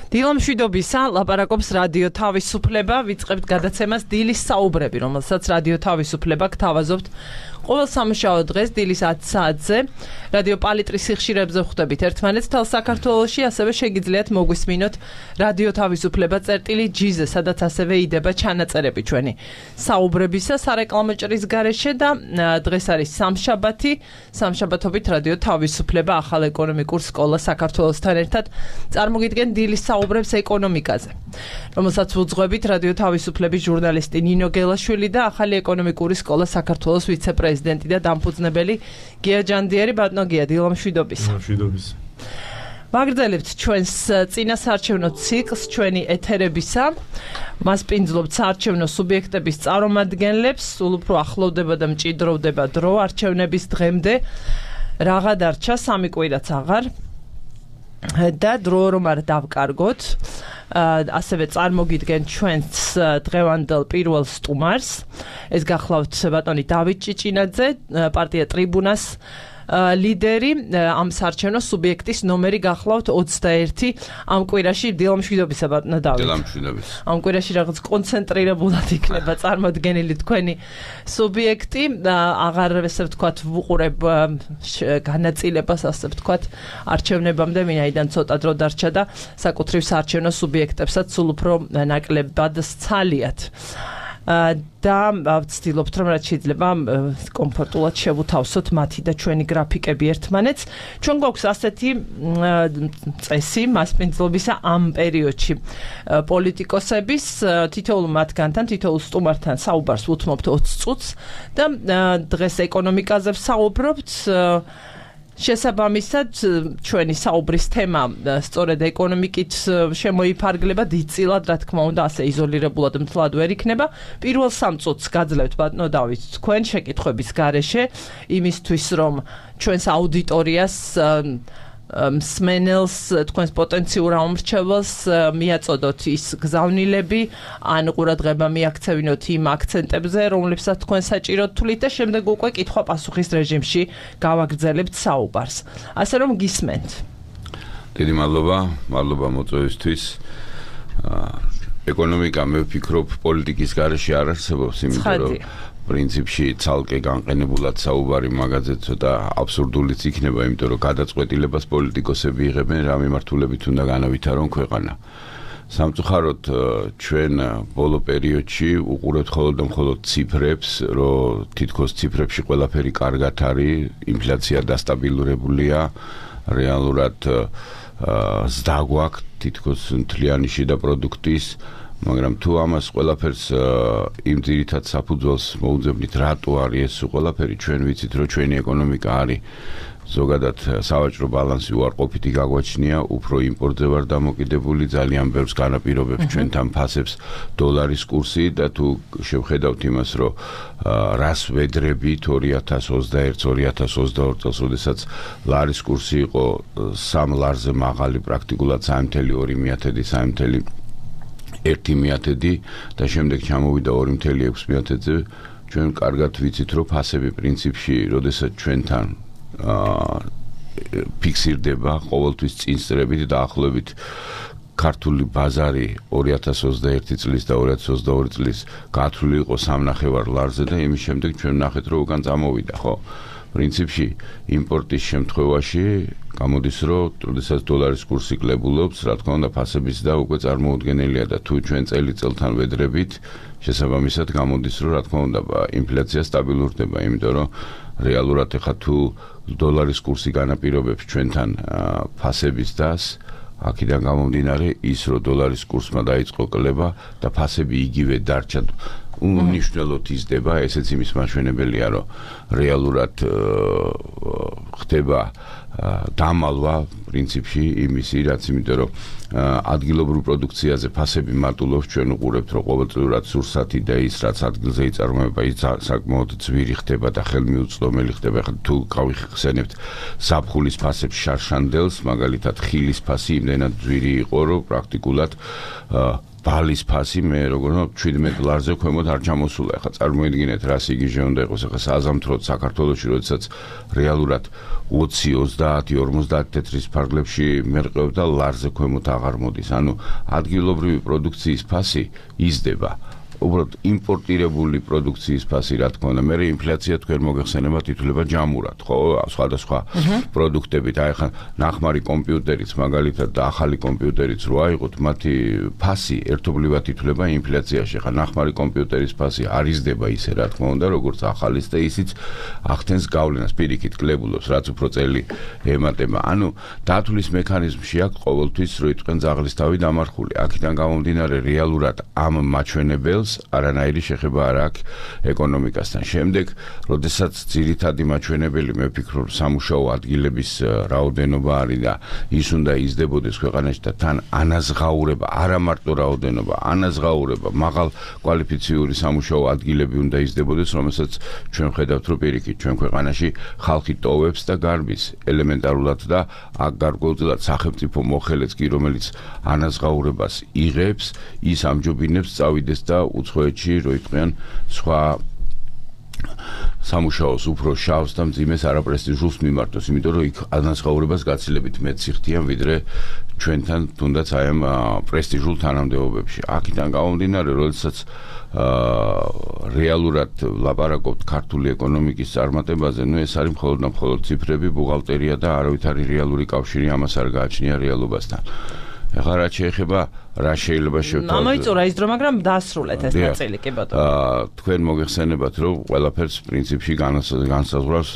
დილამშვიდობისა, ლაპარაკობს რადიო თავისუფლება, ვიწყებთ გადაცემას დილის საუბრები, რომელსაც რადიო თავისუფლება გთავაზობთ ყოველ სამუშაო დღეს დილის 10 საათზე. რადიო პალიტრის სიხშირებზე ვხვდებით ერთმანეთს თელ საქართველოში, ასევე შეგიძლიათ მოგვისმინოთ რადიო თავისუფლება წერტილი-G-ზე, სადაც ასევე იდება ჩანაწერები ჩვენი საუბრებისა სარეკლამო ჭრის გარეშე და დღეს არის სამშაბათი, სამშაბათობით რადიო თავისუფლება ახალ ეკონომიკურ სკოლა საქართველოსთან ერთად წარმოგიდგენ დილის საუბრებს ეკონომიკაზე, რომელსაც ვუძღვებით რადიო თავისუფლების ჟურნალისტი ნინო გელაშვილი და ახალი ეკონომიკური სკოლა საქართველოს ვიცე-პრეზიდენტი და დამფუძნებელი გია ჯანდიერი. ბატონო გია, დილამშვიდობისა. დილამშვიდობისა. ვაგრძელებთ ჩვენს წინასაარჩევნო ციკლს ჩვენი ეთერებისა. მას პინძლობთ საარჩევნო სუბიექტების წარმომადგენლებს, სულ უფრო ახლოვდება და მჭიდროვდება დრო არჩევნების დღემდე. რაღა დარჩა, 3 კვირაც აღარ. და დრო რომ არ დავკარგოთ, ასევე წარმოგიდგენ ჩვენს დღევანდელ პირველ სტუმარს. ეს გახლავთ ბატონი დავით ჭიჭინაძე, პარტია ტრიბუნას ლიდერი, ამ საარჩევნო სუბიექტის ნომერი გახლავთ 21 ამ კვირაში. დილამშვიდობისა ბატონო დავით. დილამშვიდობის. ამ კვირაში რაღაც კონცენტრირებულად იქნება წარმოდგენილი თქვენი სუბიექტი. აღარ ესე ვთქვათ ვუყურებ განაწილებას, ასე ვთქვათ, არჩევნებამდე, ვინაიდან ცოტა დრო დარჩა და საკუთრივ საარჩევნო სუბიექტებსაც სულ უფრო ნაკლებად სცალიათ. და ვცდილობთ რომ რაც შეიძლება კომფორტულად შევუთავსოთ მათი და ჩვენი გრაფიკები ერთმანეთს. ჩვენ გვაქვს ასეთი წესი მასპინძლობისა ამ პერიოდში პოლიტიკოსების, თითოეულ მათგანთან, თითოეულ სტუმართან საუბარს უთმობთ 20 წუთს და დღეს ეკონომიკაზე ვსაუბრობთ. შესაბამისად, ჩვენი საუბრის თემა სწორედ ეკონომიკით შემოიფარგლება დიდწილად, რა თქმა უნდა, ასე იზოლირებულად მთლად ვერ იქნება. პირველ 3 წუთს გაძლევთ ბატონო დავით თქვენ შეკითხვების გარეშე, იმისთვის რომ ჩვენს აუდიტორიას მსმენელს, თქვენს პოტენციურ ამორჩეველს მიაწოდოთ ის გზავნილები, ან ყურადღება მიაქცევინოთ იმ აქცენტებზე, რომლებსაც თქვენ საჭიროდ თვლით და შემდეგ უკვე კითხვა-პასუხის რეჟიმში გავაგრძელებთ საუბარს. ასე რომ გისმენთ. დიდი მადლობა მოწვევისთვის. ეკონომიკა მე ვფიქრობ პოლიტიკის გარეშე არ არსებობს, იმიტომ რომ პრინციპში ცალკე განყენებულად საუბარი მაგაზე ცოტა აბსურდულიც იქნება, იმიტომ რომ გადაწყვეტილებას პოლიტიკოსები იღებენ რა მიმართულებით უნდა განავითარონ ქვეყანა. სამწუხაროდ ჩვენ ბოლო პერიოდში უყურებთ მხოლოდ ციფრებს, რომ თითქოს ციფრებში ყველაფერი კარგად არის, ინფლაცია დასტაბილურებულია, რეალურად ზრდა გვაქვს თითქოს მთლიანი შიდა პროდუქტის, მაგრამ თუ ამას ყველაფერს იმ ძირითად საფუძველს მოუძებნით, რატო არის ეს ყველაფერი, ჩვენ ვიცით, რომ ჩვენი ეკონომიკა არის ზოგადად სავაჭრო ბალანსი უარყოფითი გაგვაჩნია, უფრო იმპორტზე ვარ დამოკიდებული, ძალიან ბევრს განაპირობებს ჩვენთან ფასებს დოლარის კურსი და თუ შევხედავთ იმას, რომ რას ვედრებით 2021-2022 წელს, როდესაც ლარის კურსი იყო 3 ლარზე მაღალი, პრაქტიკულად 3.2-3.1 და შემდეგ ჩამოვიდა 2.6-ზე, ჩვენ კარგად ვიცით, რომ ფასები პრინციპში, როდესაც ჩვენთან ფიქსირდება ყოველთვის წინსწრებით და ახლობით ქართული ბაზარი 2021 წლის და 2022 წლის გათვლილი იყო 3.5 ლარზე და იმის შემდეგ ჩვენ ნახეთ, რომ უკან წამოვიდა, ხო? პრინციპში იმპორტის შემთხვევაში გამოდის, რომ როდესაც დოლარის კურსი კლებულობს, რა თქმა უნდა, ფასების და უკვე წარმოუდგენელია და თუ ჩვენ წელიწელთან ვედრებით, შესაბამისად გამოდის, რომ რა თქმა უნდა, ინფლაცია სტაბილურდება, იმიტომ რომ რეალურად ეხლა თუ დოლარის კურსი განაპირობებს ჩვენთან ფასების დას, აქედან გამომდინარე ის, რომ დოლარის კურსმა დაიწყო კლება და ფასები იგივე დარჩა, უნიშნელოდ იზრდება, ესეც იმის მაჩვენებელია, რომ რეალურად ხდება დამალვა პრინციპში იმისი, რაც იმიტომ რომ ადგილობრივ პროდუქციაზე ფასები მატულობს, ჩვენ უყურებთ, რომ ყოველწლიურად სურსათი და ის, რაც ადგილზე იწარმოება, ის საკმაოდ ძვირი ხდება და ხელმიუწვდომელი ხდება. თუ გავიხსენებთ ზაფხულის ფასებს შარშანდელს, მაგალითად ხილის ფასი იმდენად ძვირი იყო, რომ პრაქტიკულად ბალის ფასი მე როგორ $17 ქვემოთ არ ჩამოსულა. ეხლა წარმოიდგინეთ რა სიგიჟე უნდა იყოს ეხლა საზამთროდ საქართველოში, როდესაც რეალურად 20, 30, 50 თეთრის ფარგლებში მერყევ და ლარზე ქვემოთ აღარ მოდის. ანუ ადგილობრივი პროდუქციის ფასი იზრდება. უბრალოდ იმპორტირებული პროდუქციის ფასი რა თქმა უნდა, მე ინფლაცია თქვენ მოგეხსენება თითულება ჯამურად, ხო, სხვადასხვა პროდუქტებით, აი ხან ნახმარი კომპიუტერიც მაგალითად და ახალი კომპიუტერიც რო აიღოთ, მათი ფასი ერთობლივად თითულება ინფლაციაში. ხა ნახმარი კომპიუტერის ფასი არ იზრდება ისე რა თქმა უნდა, როგორც ახალის და ისიც ახდენს გავლენას, პირიქით კლებულობს, რაც უფრო წელი ემატება. ანუ დათვლის მექანიზმში აქვს ყოველთვის რო იტყვენ ძაღლის თავი დამარხული. აქედან გამომდინარე რეალურად ამ მაჩვენებელს არანაირი შეხება არ აქვს ეკონომიკასთან. შემდეგ, როდესაც ძირითადი მაჩვენებელი მე ვფიქრობ სამუშაო ადგილების რაოდენობა არის და ის უნდა იზრდებოდეს ქვეყანაში და თან ანაზღაურება, არა მარტო რაოდენობა, ანაზღაურება, მაღალ კვალიფიციური სამუშაო ადგილები უნდა იზრდებოდეს, რომელსაც ჩვენ ხედავთ, რომ პირიქით ჩვენ ქვეყანაში ხალხი ტოვებს და გარბის ელემენტარულად და აქ გარკვეულწილად სახელმწიფო მოხელეც კი, რომელიც ანაზღაურებას იღებს, ის ამჯობინებს წავიდეს და უცხოეთში რო იტყვიან სხვა სამუშაოს უფრო შავს და მძიმეს არაპრესტიჟულს მიმართოს, იმიტომ რომ იქ ანაზღაურებას გაცილებით მეტ სიხდიან ვიდრე ჩვენთან თუნდაც აი ამ პრესტიჟულ თანამდებობებში. აქედან გამომდინარე, როდესაც რეალურად ლაპარაკობთ ქართული ეკონომიკის წარმატებაზე, ნუ ეს არის მხოლოდ და მხოლოდ ციფრები, ბუღალტერია და არავითარი რეალური კავშირი ამას არ გააჩნია რეალობასთან. ეხლა რაც შეეხება რა შეიძლება შევთავაზოთ. ამოიწურა ის დრო, მაგრამ დასრულეთ ეს ნაწილი, კი ბატონო. თქვენ მოგეხსენებათ, რომ ყველაფერს პრინციპში განსაზღვრავს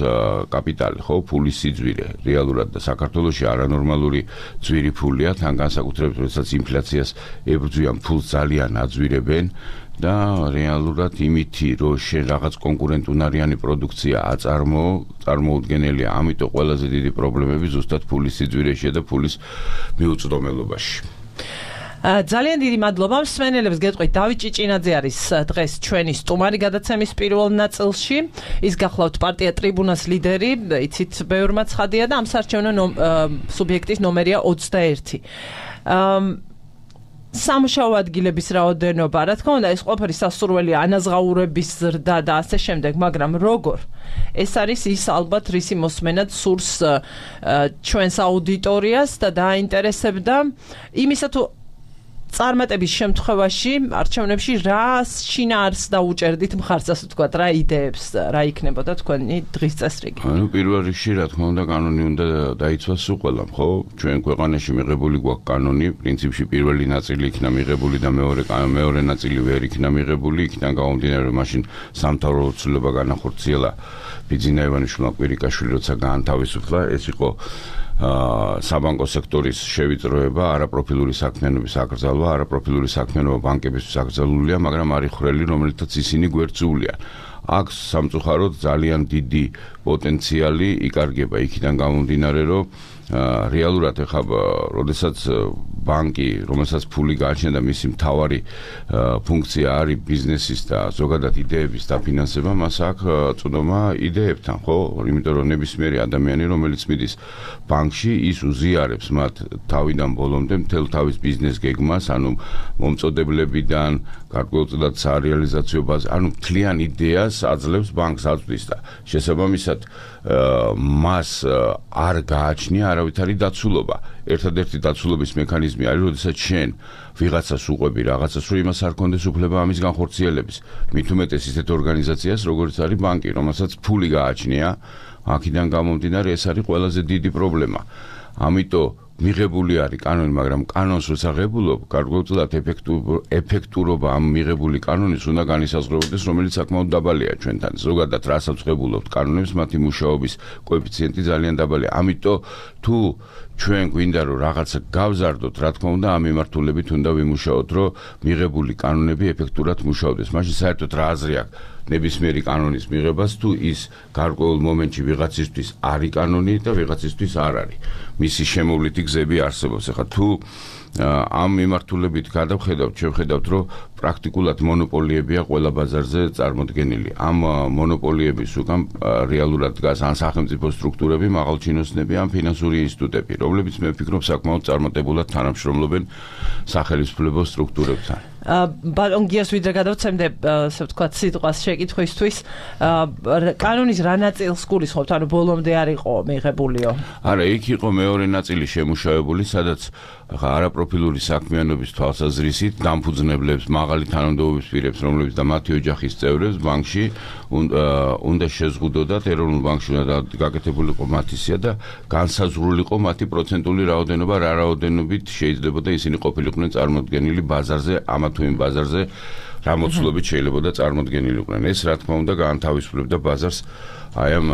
კაპიტალი, ხო, ფულის სიძვირე. რეალურად და საქართველოში არანორმალური ძვირი ფულია, თან განსაკუთრებით, როდესაც ინფლაციას ებრძვიან, ფულს ძალიან აძვირებენ. და რეალურად იმითი, რომ შენ რაღაც კონკურენტუნარიანი პროდუქცია წარმოუდგენელია, ამიტომ ყველაზე დიდი პრობლემები ზუსტად ფულის სიძვირეშია და ფულის მიუწვდომელობაში. ძალიან დიდი მადლობა მსმენელებს გეტყვით. დავით ჭიჭინაძე არის დღეს ჩვენი სტუმარი გადაცემის პირველ ნაწილში. ის გახლავთ პარტია ტრიბუნას ლიდერი, იცით ბევრმა ცხადია და ამ საარჩევნო სუბიექტის ნომერია 21. სამუშაო ადგილების რაოდენობა, რა თქმა უნდა, ეს ყველაფერი სასურველია, ანაზღაურების ზრდა და ასე შემდეგ, მაგრამ როგორ? ეს არის ის ალბათ რისი მოსმენად სურს ჩვენს აუდიტორიას და დაინტერესებდა იმისა თუ წარმატების შემთხვევაში არჩევნებში რა შინაარსს დაუჭერდით მხარს, ასე ვთქვათ, რა იდეებს, რა იქნებოდა თქვენი დღის წესრიგი? ანუ პირველ რიგში რა თქმა უნდა კანონი უნდა დაიცვას უყველამ, ხო? ჩვენ ქვეყანაში მიღებული გვაქვს კანონი, პრინციპში პირველი ნაწილი იქნა მიღებული და მეორე ნაწილი ვერ იქნა მიღებული, იქიდან გამომდინარე, რომ მაშინ სამთავრობო ცვლილება განახორციელა ბიძინა ივანიშვილმა კვირიკაშვილი, როცა გაანთავისუფლა, ეს იყო საბანკო სექტორის შევიწროება, არაპროფილური საქმიანობის აკრძალვა, არაპროფილური საქმიანობა ბანკებისთვის აკრძალულია, მაგრამ არის ხრელი, რომელთაც ისინი გვერდზულიან. აქ სამწუხაროდ ძალიან დიდი პოტენციალი იკარგება, იქიდან გამომდინარე, რომ რეალურად ეხლა როდესაც ბანკი, რომელსაც ფული გააჩნია და მისი მთავარი ფუნქცია არის ბიზნესის და ზოგადად იდეების დაფინანსება, მას აქვს წვდომა იდეებთან, ხო? იმიტომ რომ ნებისმიერი ადამიანი, რომელიც მიდის ბანკში, ის უზიარებს მათ თავიდან ბოლომდე მთელ თავის ბიზნეს გეგმას, ანუ მომწოდებლებიდან გარკვეულწილად სარეალიზაციო ბაზა, ანუ მთლიან იდეას აძლევს ბანკს აწვდის და შესაბამისად მას არ გააჩნია არავითარი დაცულობა. ერთადერთი დაცულობის მექანიზმი არის, როდესაც შენ ვიღაცას უყვები რაღაცას, რომ იმას არ კონდეს უფლება ამის განხორციელების. მით უმეტეს ისეთ ორგანიზაციას, როგორც არის ბანკი, რომელსაც ფული გააჩნია, აქედან გამომდინარე ეს არის ყველაზე დიდი პრობლემა. ამიტომ მიღებული არის კანონი, მაგრამ კანონს როცა ღებულობ, გარკვეულწილად ეფექტურობა ამ მიღებული კანონის უნდა განისაზღვრებოდეს, რომელიც საკმაოდ დაბალია ჩვენთან. ზოგადად რასაც ღებულობთ კანონებს, მათი მუშაობის კოეფიციენტი ძალიან დაბალია. ამიტომ თუ ჩვენ გვინდა რომ რაღაცა გავზარდოთ, რა თქმა უნდა, ამ მიმართულებით უნდა ვიმუშაოთ, რომ მიღებული კანონები ეფექტურად მუშაობდეს. მაშინ საერთოდ რა აზრი აქვს ნებისმიერი კანონის მიღებას, თუ ის გარკვეულ მომენტში ვიღაცისთვის არის კანონი და ვიღაცისთვის არ არის. მისი შემოვლითი გზები არსებობს. ეხლა თუ ამ მიმართულებით გადავხედავთ, შევხედავთ, რომ პრაქტიკულად მონოპოლიებია ყველა ბაზარზე წარმოდგენილი. ამ მონოპოლიების უკან რეალურად დგას ან სახელმწიფო სტრუქტურები, მაღალჩინოსნები, ან ფინანსური ინსტიტუტები, რომლებიც მე ვფიქრობ საკმაოდ წარმატებულად თანამშრომლობენ სახელმწიფო სტრუქტურებთან. ბატონ გიას ვიდრე გადავცემდე, ასე ვთქვათ, სიტყვას შეკითხვისთვის, კანონის რა ნაწილს გულისხმობთ, ანუ ბოლომდე არ იყო მიღებულიო? არა, იქ იყო მეორე ნაწილი შემუშავებული, სადაც არაპროფილური საქმიანობის თვალსაზრისით დამფუძნებლებს, მაღალი თანამდებობის პირებს, რომლებიც და მათი ოჯახის წევრებს ბანკში უნდა შეზღუდოდათ, ეროვნულ ბანკში უნდა გაკეთებულიყო მათი სია და განსაზღვრულიყო მათი პროცენტული რაოდენობა, რა რაოდენობით შეიძლებოდა ისინი ყოფილიყვნენ წარმოდგენილი ბაზარზე, ამა თუ იმ ბაზარზე რა მოცულობით შეიძლებოდა წარმოდგენილიყვნენ. ეს რა თქმა უნდა გაანთავისუფლებდა ბაზარს აი ამ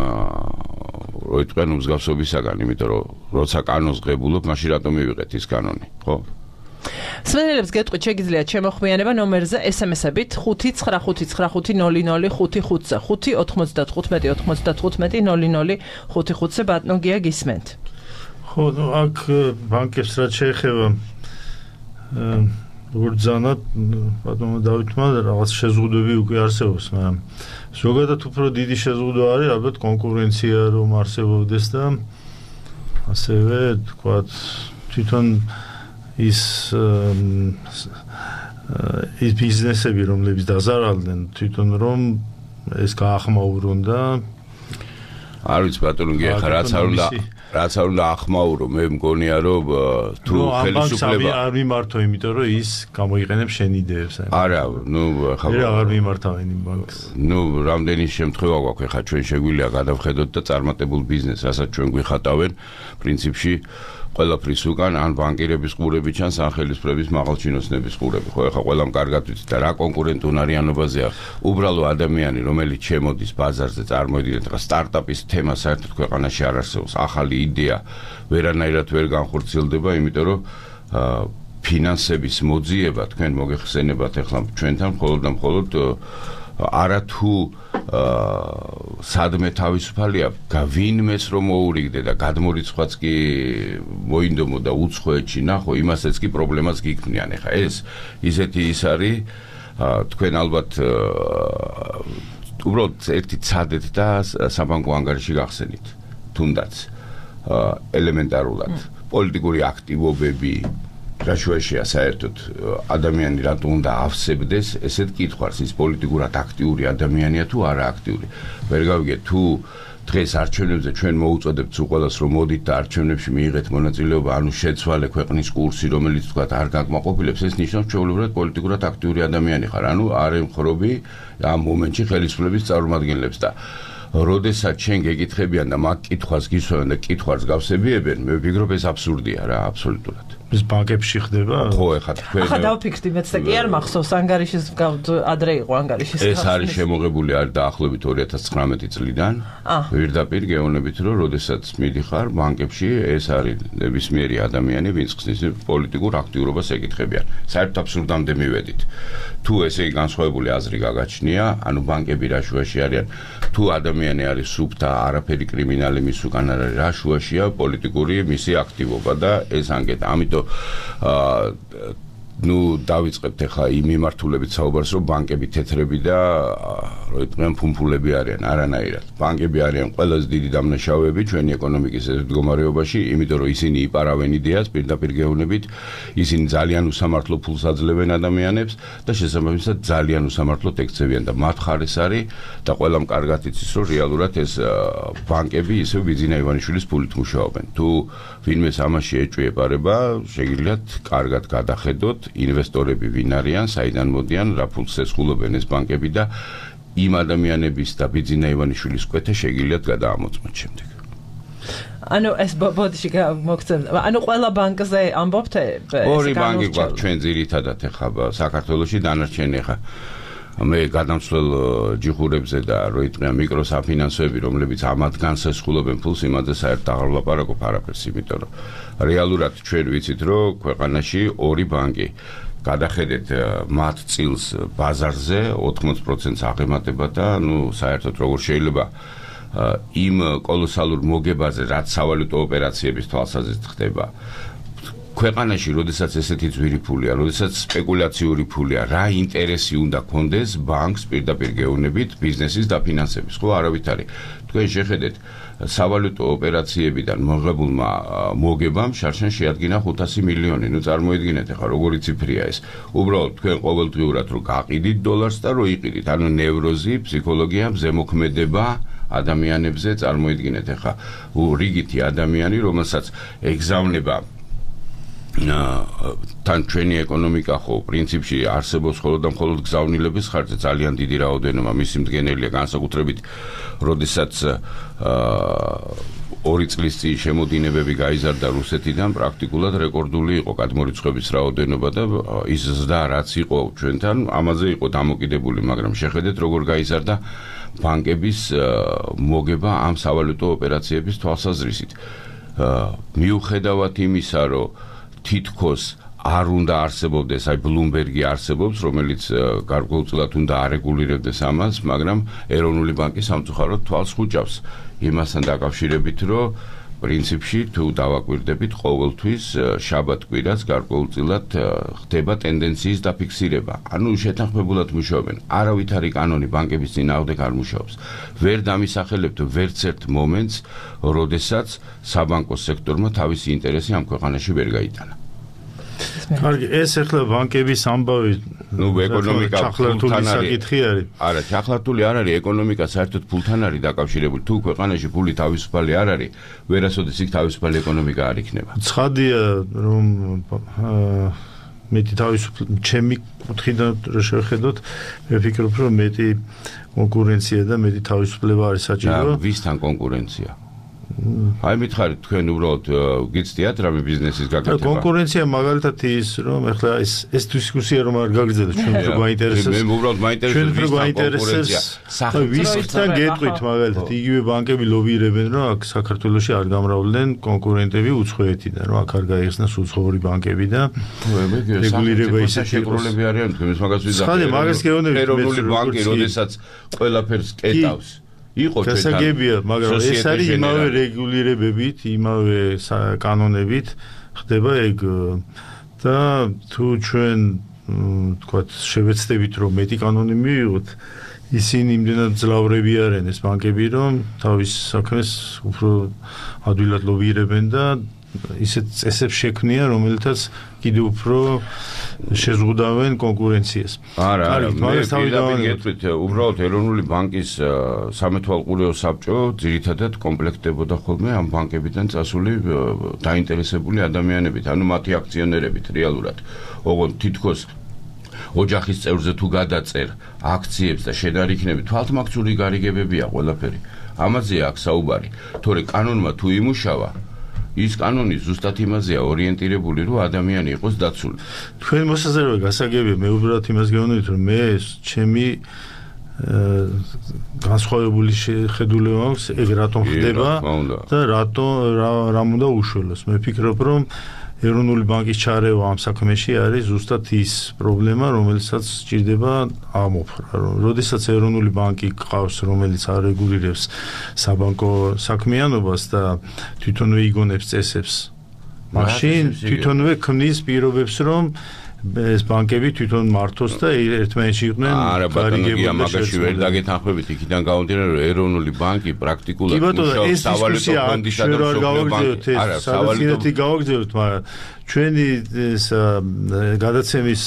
როიტყვენ მსგავსობისაგან, იმიტომ რომ როცა კანონს ღებულობ, მაშინ რატომ მივიღეთ ის კანონი, ხო? სვენელებს გეტყვით, შეგიძლიათ შემოხვიანება ნომერზე SMS-ებით 595500555-ზე 5-95-95-00-55-ზე ბატონო გია გისმენთ. ხო, აქ ბანკებს რაც შეეხება როგორც ზანად ბატონო დავითმა რაღაც შეზღუდვები უკვე არსებობს, მაგრამ ზოგადად უფრო დიდი შეზღუდვა არის ალბათ კონკურენცია რომ არსებობდეს და ასევე თქვათ თვითონ ის ბიზნესები რომლებიც დაზარალდნენ თვითონ რომ ეს გაახმაურონ და არ ვიცი ბატონო გია ხა რაც არ უნდა ახმაურო, მე მგონია რომ თუ ხელისუფლება არ მიმართო, იმიტომ რომ ის გამოიყენებს შენ იდეებს. არა, ნუ ხა აღარ მიმართავენ იმ ბანკს. ნუ რამდენი შემთხვევა გვაქვს, ხა ჩვენ შეგვიძლია გადავხედოთ და წარმატებულ ბიზნესს, რასაც ჩვენ გვიხატავენ, პრინციპში ყველაფრის უკან ან ბანკირების ყურები ჩანს, ან ხელისუფლების მაღალჩინოსნების ყურები. ხო, ეხლა ყველამ კარგად ვიცით და რა კონკურენტუნარიანობაზეა უბრალო ადამიანი, რომელიც შემოდის ბაზარზე, წარმოვიდგინეთ, ხა სტარტაპის თემა საერთოდ ქვეყანაში არ არსებობს. ახალი იდეა ვერანაირად ვერ განხორციელდება, იმიტომ რომ ფინანსების მოძიება თქვენ მოგეხსენებათ ეხლა ჩვენთან მხოლოდ და მხოლოდ არათუ სადმე თავისუფალია ვინმეს რომ მოურიგდე და გადმორიცხვაც კი მოინდომო და უცხოეთში ნახო, იმასაც კი პრობლემას გიქმნიან. ეხლა ეს ისეთი ის არის, თქვენ ალბათ უბრალოდ ერთი ცადეთ და საბანკო ანგარიში გახსენით, თუნდაც ელემენტარულად პოლიტიკური აქტივობები რა შუაშია საერთოდ ადამიანი რატომ უნდა ავსებდეს ესეთ კითხვას, ის პოლიტიკურად აქტიური ადამიანია თუ არა აქტიური. ვერ გავიგეთ თუ დღეს არჩევნებზე ჩვენ მოუწოდებთ უყოლას რომ მოდით და არჩევნებში მიიღეთ მონაწილეობა, ანუ შეცვალე ქვეყნის კურსი, რომელიც თქვა არ გაკმაყოფილებს, ეს ნიშნავს ჩვეულებრივად პოლიტიკურად აქტიური ადამიანი ხარ, ანუ არ ემხრობი ამ მომენტში ხელისუფლების წარმომადგენლებს და როდესაც ჩვენ გეკითხებიან და მაგ კითხვას გისვენ და კითხვას გავსებიებენ, მე ვფიქრობ ეს აბსურდია რა, აბსოლუტურად. ეს ბანკებში ხდება? ხო, ეხლა თქვენ ახლა დავფიქრდი მეც და კი არ მახსოვს ანგარიშის ადრე იყო ანგარიშის. ეს არის შემოღებული არის დაახლოებით 2019 წლიდან. პირდაპირ გეუბნებით რომ როდესაც მიდიხარ ბანკებში, ეს არის ნებისმიერი ადამიანი, ვინც ხსნის პოლიტიკურ აქტიურობას ეკითხებიან. საერთოდ აბსურდამდე მივედით. თუ ესე განსხვავებული აზრი გაგაჩნია, ანუ ბანკები რა შუაში არიან, თუ ადამიანი არის სუფთა, არაფერი კრიმინალი მის უკან არ არის, რა შუაშია პოლიტიკური მისი აქტივობა და ეს ანგეთა. ამიტომ ნუ დავიწყებთ ახლა იმ მიმართულებით საუბარს, რომ ბანკები თეთრები და როიტყვენ ფუმფულები არიან, არანაირად. ბანკები არიან ყველაზე დიდი დამნაშავეები ჩვენი ეკონომიკის მდგომარეობაში, იმიტომ რომ ისინი იპარავენ იდეას, პირდაპირ გეუბნებით, ისინი ძალიან უსამართლო ფულს აძლევენ ადამიანებს და შესაბამისად ძალიან უსამართლოდ ექცევიან და მათ ხარეს არის და ყველამ კარგად იცის, რომ რეალურად ეს ბანკები ისევ ბიძინა ივანიშვილის ფულით მუშაობენ. თუ ვინმეს ამაში ეჭვი ეპარება, შეგიძლიათ კარგად გადახედოთ ინვესტორები ვინ არიან, საიდან მოდიან, რა ფულს ესხულობენ ეს ბანკები და იმ ადამიანების და ბიძინა ივანიშვილის კვეთა შეგიძლიათ გადაამოწმოთ შემდეგ. ანუ ეს ბოდიში მოგცემ. ანუ ყველა ბანკზე ამბობთ ორი ბანკი გვაქვს ჩვენ ძირითადად ახლა საქართველოში, დანარჩენი ახლა მე გადამცვლელ ჯიხურებზე და როიტყვიან მიკროსაფინანსოები, რომლებიც ამათ განსესხულობენ ფულს, იმაზე საერთოდ აღარ ვლაპარაკობ არაფერს, იმიტომ რომ რეალურად ჩვენ ვიცით, რომ ქვეყანაში ორი ბანკი გადახედეთ მათ წილს ბაზარზე 80%-ს აღემატება და ნუ საერთოდ როგორ შეიძლება იმ კოლოსალურ მოგებაზე, რაც სავალუტო ოპერაციების თვალსაზრისით ხდება. ქვეყანაში, როდესაც ესეთი ძვირი ფულია, როდესაც სპეკულაციური ფულია, რა ინტერესი უნდა კონდეს ბანკს პირდაპირ გეუბნებით ბიზნესის დაფინანსების, ხო, არავით არის. თქვენ შეხედეთ, სავალუტო ოპერაციებიდან მოღებულმა მოგებამ შარშან შეადგინა 500 მილიონი. ნუ წარმოიდგინეთ ახლა როგორი ციფრია ეს. უბრალოდ თქვენ ყოველდღიურად რო გაყიდით დოლარს და რო იყიდით, ანუ ნევროზი, ფსიქოლოგია, ზემოქმედება ადამიანებზე წარმოიდგინეთ ახლა რიგითი ადამიანი, რომელსაც ეგზავნება თან ჩვენი ეკონომიკა ხო პრინციპში არსებობს მხოლოდ და მხოლოდ გზავნილების ხარჯზე ძალიან დიდი რაოდენობა მისი მდგენელია განსაკუთრებით როდესაც 2 წლის წინ შემოდინებები გაიზარდა რუსეთიდან პრაქტიკულად რეკორდული იყო გადმორიცხვების რაოდენობა და ის ზრდა რაც იყო ჩვენთან ამაზე იყო დამოკიდებული მაგრამ შეხედეთ როგორ გაიზარდა ბანკების მოგება ამ სავალუტო ოპერაციების თვალსაზრისით მიუხედავად იმისა რომ თითქოს არ უნდა არსებობდეს, აი ბლუმბერგი არსებობს, რომელიც გარკვეულწილად უნდა არეგულირებდეს ამას, მაგრამ ეროვნული ბანკი სამწუხაროდ თვალს ხუჭავს იმასთან დაკავშირებით, რომ პრინციპში თუ დავაკვირდებით ყოველთვის შაბათ-კვირას გარკვეულწილად ხდება ტენდენციის დაფიქსირება. ანუ შეთანხმებულად მუშაობენ. არავითარი კანონი ბანკების წინააღმდეგ არ მუშაობს. ვერ დამისახელებთ ვერც ერთ მომენტს, როდესაც საბანკო სექტორმა თავისი ინტერესი ამ ქვეყანაში ვერ გაიტანა. კარგი, ეს ახლა ბანკების ამბავი ეკონომიკა ჩახლართული საკითხი არის. არა, ჩახლართული არ არის, ეკონომიკა საერთოდ ფულთან არის დაკავშირებული. თუ ქვეყანაში ფული თავისუფალი არ არის, ვერასოდეს იქ თავისუფალი ეკონომიკა არ იქნება. ცხადია, რომ მეტი თავისუფლება, ჩემი კუთხიდან რო შევხედოთ, მე ვფიქრობ, რომ მეტი კონკურენცია და მეტი თავისუფლება არის საჭირო. ვისთან კონკურენცია? აი მითხარით თქვენ უბრალოდ გიცდიათ რამე ბიზნესის გაკეთება. კონკურენცია მაგალითად ის რომ ახლა ეს დისკუსია რომ არ გაგრძელდეს ჩვენ რო გვაინტერესებს. მე უბრალოდ მაინტერესებს ვისთან კონკურენცია. ვისთან გეტყვით მაგალითად იგივე ბანკები ლობირებენ რომ აქ საქართველოში არ გამრავლდნენ კონკურენტები უცხოეთიდან რომ აქ არ გაიხსნას უცხოური ბანკები და რეგულირება ისეთი შეკროლები არიან თქვენ ეს მაგას ვიზახეთ. ხალე მაგას გეუბნებით ეროვნული ბანკი როდესაც ყველაფერს კეტავს. იყო შესაგებია, მაგრამ ეს არის იმავე რეგულირებებით, იმავე კანონებით ხდება ეგ და თუ ჩვენ თქვათ შევეცდებით რომ მეტი კანონი მივიღოთ, ისინი იმდენად ძლავრები არიან ეს ბანკები, რომ თავის საქმეს უფრო ადვილად ლობირებენ და ისეთ წესებს შექმნიან, რომელთაც კიდევ უფრო შეზღუდავენ კონკურენციას. არა, მე უბრალოდ ეროვნული ბანკის სამეთვალყურეო საბჭო ძირითადად კომპლექტდებოდა ხოლმე ამ ბანკებიდან წასული დაინტერესებული ადამიანებით, ანუ მათი აქციონერებით რეალურად. ოღონდ თითქოს ოჯახის წევრზე თუ გადაწერ აქციებს და შედარიქნები, თვალთმაქციური გარიგებებია ყველაფერი. ამაზეა აქ საუბარი. თორე კანონმა თუ იმუშავა ის კანონი ზუსტად იმაზეა ორიენტირებული, რომ ადამიანი იყოს დაცული. თქვენ მოსაზრება გასაგებია, მე უბრალოდ იმას გეუბნებით, რომ მე ჩემი განსხვავებული შეხედულება აქვს, ეგ რატომ ხდება და რამ უნდა უშველოს. მე ვფიქრობ, რომ ეროვნული ბანკის ჩარევა ამ საქმეში არის ზუსტად ის პრობლემა, რომელსაც სჭირდება ამოფრა. როდესაც ეროვნული ბანკი გყავს, რომელიც არეგულირებს საბანკო საქმიანობას და თვითონვე იგონებს წესებს, მაშინ თვითონვე ქმნის პირობებს, რომ ეს ბანკები თვითონ მართოს და ერთმანეთში იყვნენ გარიგებულები. მაგაში ვერ დაგეთანხმებით, იქიდან გამომდინარე, რომ ეროვნული ბანკი პრაქტიკულად მუშაობს სავალუტო ფონდისა და მსოფლიო ბანკის. არა, სავალუტო გავაგრძელებთ, მაგრამ ჩვენი გადაცემის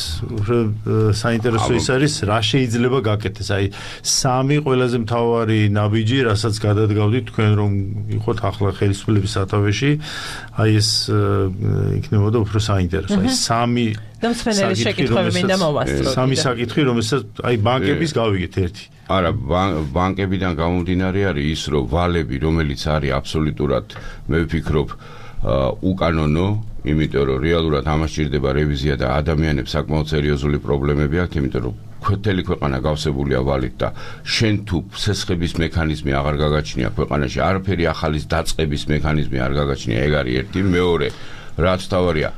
საინტერესო ის არის, რა შეიძლება გაკეთდეს. აი, 3 ყველაზე მთავარი ნაბიჯი, რასაც გადადგავდით თქვენ რომ იყოთ ახლა ხელისუფლების სათავეში, აი ეს იქნებოდა უფრო საინტერესო. აი 3 და მსმენელი შეკითხვები მინდა მოვასწროთ. 3 საკითხი, რომელსაც აი ბანკების გავიგეთ ერთი. არა, ბანკებიდან გამომდინარე არის ის, რომ ვალები, რომელიც არის აბსოლუტურად, მე ვფიქრობ, უკანონო, იმიტომ რომ რეალურად ამას სჭირდება რევიზია და ადამიანებს საკმაოდ სერიოზული პრობლემები აქვს, იმიტომ რომ მთელი ქვეყანა გავსებულია ვალით და შენ თუ სესხების მექანიზმი აღარ გაგაჩნია ქვეყანაში, არაფერი ახალის დაწყების მექანიზმი არ გაგაჩნია, ეგ არის ერთი. მეორე, რაც თავარია,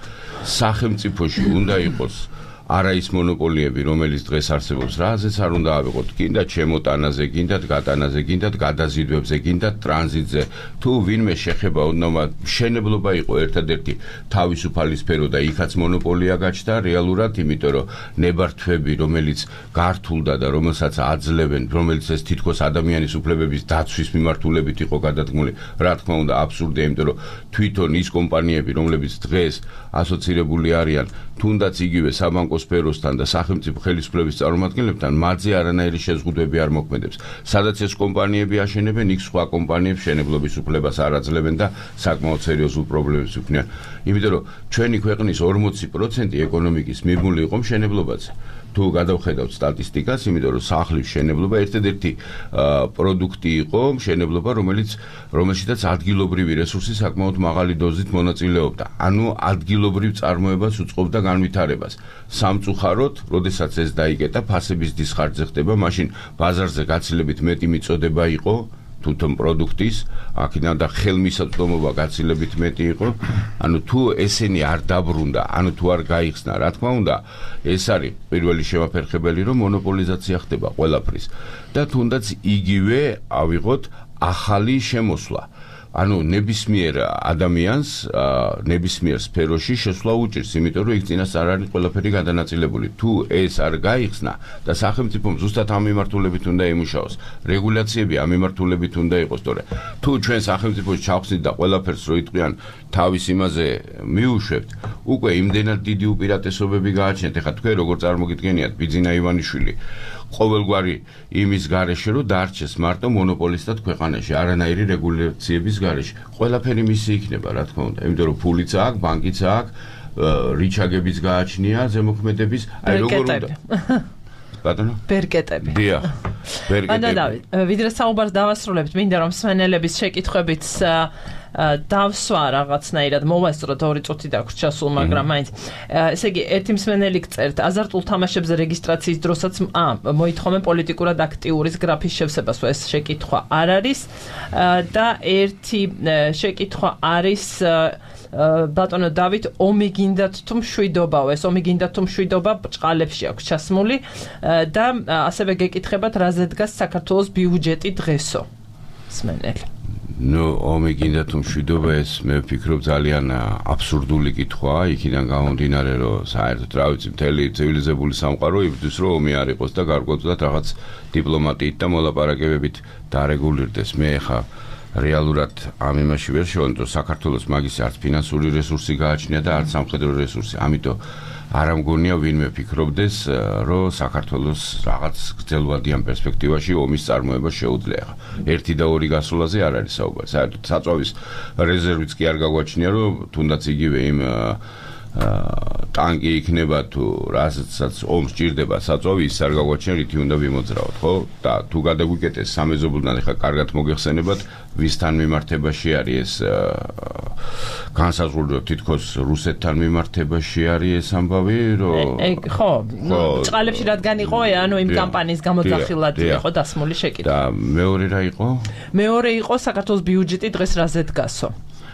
სახელმწიფოში უნდა იყოს არა ის მონოპოლიები, რომელიც დღეს არსებობს, რაზეც არ უნდა ავიღოთ, გინდათ შემოტანაზე, გინდათ გატანაზე, გინდათ გადაზიდვებზე, გინდათ ტრანზიტზე. თუ ვინმე შეხება ოდნავ მშენებლობა იყო ერთადერთი თავისუფალი სფერო და იქაც მონოპოლია გაჩნდა რეალურად, იმიტომ რომ ნებართვები, რომელიც გართულდა და რომელსაც აძლევენ, რომელიც ეს თითქოს ადამიანის უფლებების დაცვის მიმართულებით იყო გადადგმული, რა თქმა უნდა, აბსურდია, იმიტომ რომ თვითონ ის კომპანიები, რომლებიც დღეს ასოცირებული არიან, თუნდაც იგივე საბანკო სფეროსთან და სახელმწიფო ხელისუფლების წარმომადგენლებთან, მათზე არანაირი შეზღუდვები არ მოქმედებს. სადაც ეს კომპანიები აშენებენ, იქ სხვა კომპანიებს მშენებლობის უფლებას არ აძლევენ და საკმაოდ სერიოზულ პრობლემებს უქმნიან. იმიტომ რომ ჩვენი ქვეყნის 40% ეკონომიკის მიბმული იყო მშენებლობაზე. თუ გადავხედავთ სტატისტიკას, იმიტომ რომ სახლის მშენებლობა ერთადერთი პროდუქტი იყო მშენებლობა, რომელშიც ადგილობრივი რესურსი საკმაოდ მაღალი დოზით მონაწილეობდა. ანუ ადგილობრივ წარმოებას უწყობდა განვითარებას. სამწუხაროდ, როდესაც ეს დაიკეტა, ფასების დისხარჯზე ხდება, მაშინ ბაზარზე გაცილებით მეტი მიწოდება იყო თვითონ პროდუქტის, აქედან და ხელმისაწვდომობა გაცილებით მეტი იყო. ანუ თუ ესენი არ დაბრუნდა, ანუ თუ არ გაიხსნა, რა თქმა უნდა, ეს არის პირველი შემაფერხებელი, რომ მონოპოლიზაცია ხდება ყველაფრის. და თუნდაც იგივე ავიღოთ ახალი შემოსვლა. ანუ ნებისმიერ ადამიანს, ნებისმიერ სფეროში შესვლა უჭირს, იმიტომ რომ იქ წინას არ არის ყველაფერი გადანაწილებული. თუ ეს არ გაიხსნა და სახელმწიფომ ზუსტად ამ მიმართულებით უნდა იმუშაოს, რეგულაციები ამ მიმართულებით უნდა იყოს, თორე თუ ჩვენ სახელმწიფოში ჩავხსნით და ყველაფერს რო იტყვიან თავის იმაზე მიუშვებთ, უკვე იმდენად დიდი უპირატესობები გააჩნიათ. ეხლა თქვენ როგორ წარმოგიდგენიათ ბიძინა ივანიშვილი ყოველგვარი იმის გარეშე რომ დარჩეს მარტო მონოპოლისტად ქვეყანაში, არანაირი რეგულაციების გარეშე. ყველაფერი მისი იქნება, რა თქმა უნდა, იმიტომ რომ ფულიც აქვს, ბანკიც აქვს, რიჩაგებიც გააჩნია, ზემოქმედების, აი როგორ უნდა. ბატონო? ბერკეტები. დიახ. ბერკეტები. დავით, ვიდრე საუბარს დავასრულებთ, მინდა რომ მსმენელების შეკითხვებით დავსვა რაღაცნაირად მოვასწროთ 2 წუთი დაგვრჩა სულ, მაგრამ მაინც ესე იგი ერთი მსმენელი გწერთ აზარტულ თამაშებზე რეგისტრაციის დროსაც მოითხოვენ პოლიტიკურად აქტიურის გრაფის შევსებას, ეს შეკითხვა არ არის და ერთი შეკითხვა არის ბატონო დავით, ომი გინდათ თუ მშვიდობაო, ეს ომი გინდათ თუ მშვიდობა ბჭყალებში აქვს ჩასმული და ასევე გეკითხებათ რაზე დგას საქართველოს ბიუჯეტი დღესო. მსმენელი. ნუ ომი გინდა თუ მშვიდობა, ეს მე ვფიქრობ ძალიან აბსურდული კითხვაა, იქიდან გამომდინარე, რომ საერთოდ რა ვიცი, მთელი ცივილიზებული სამყარო იბრძვის, რომ ომი არ იყოს და გარკვეულწილად რაღაც დიპლომატიით და მოლაპარაკებებით დარეგულირდეს. მე ხა რეალურად ამ იმაში ვერ შევანდ, რომ საქართველოს მაგის არც ფინანსური რესურსი გააჩნია და არც სამხედრო რესურსი. ამიტომ არ ამგონია ვინმე ფიქრობდეს, რომ საქართველოს რაღაც გრძელვადიან პერსპექტივაში ომის წარმოება შეუძლია. 1 და 2 გასვლაზე არ არის საუბარი. საერთოდ საწვავის რეზერვიც კი არ გაგვაჩნია, რომ თუნდაც იგივე იმ ტანკი იქნება თუ რასაც ომს ჭირდება საწვავი, ის არ გაგვაჩნია, რითი უნდა ვიმოძრავოთ, ხო? და თუ გადაგვიკეთეს სამეზობლთან, ეხლა კარგად მოგეხსენებათ, ვისთან მიმართებაში არის ეს განსაზღვრული, რომ თითქოს რუსეთთან მიმართებაში არის ეს ამბავი, რომ ხო, ბჭყალებში რადგან იყო, ანუ იმ კამპანიის გამოძახილად იყო დასმული შეკითხვა. და მეორე რა იყო? მეორე იყო საქართველოს ბიუჯეტი დღეს რაზე დგასო?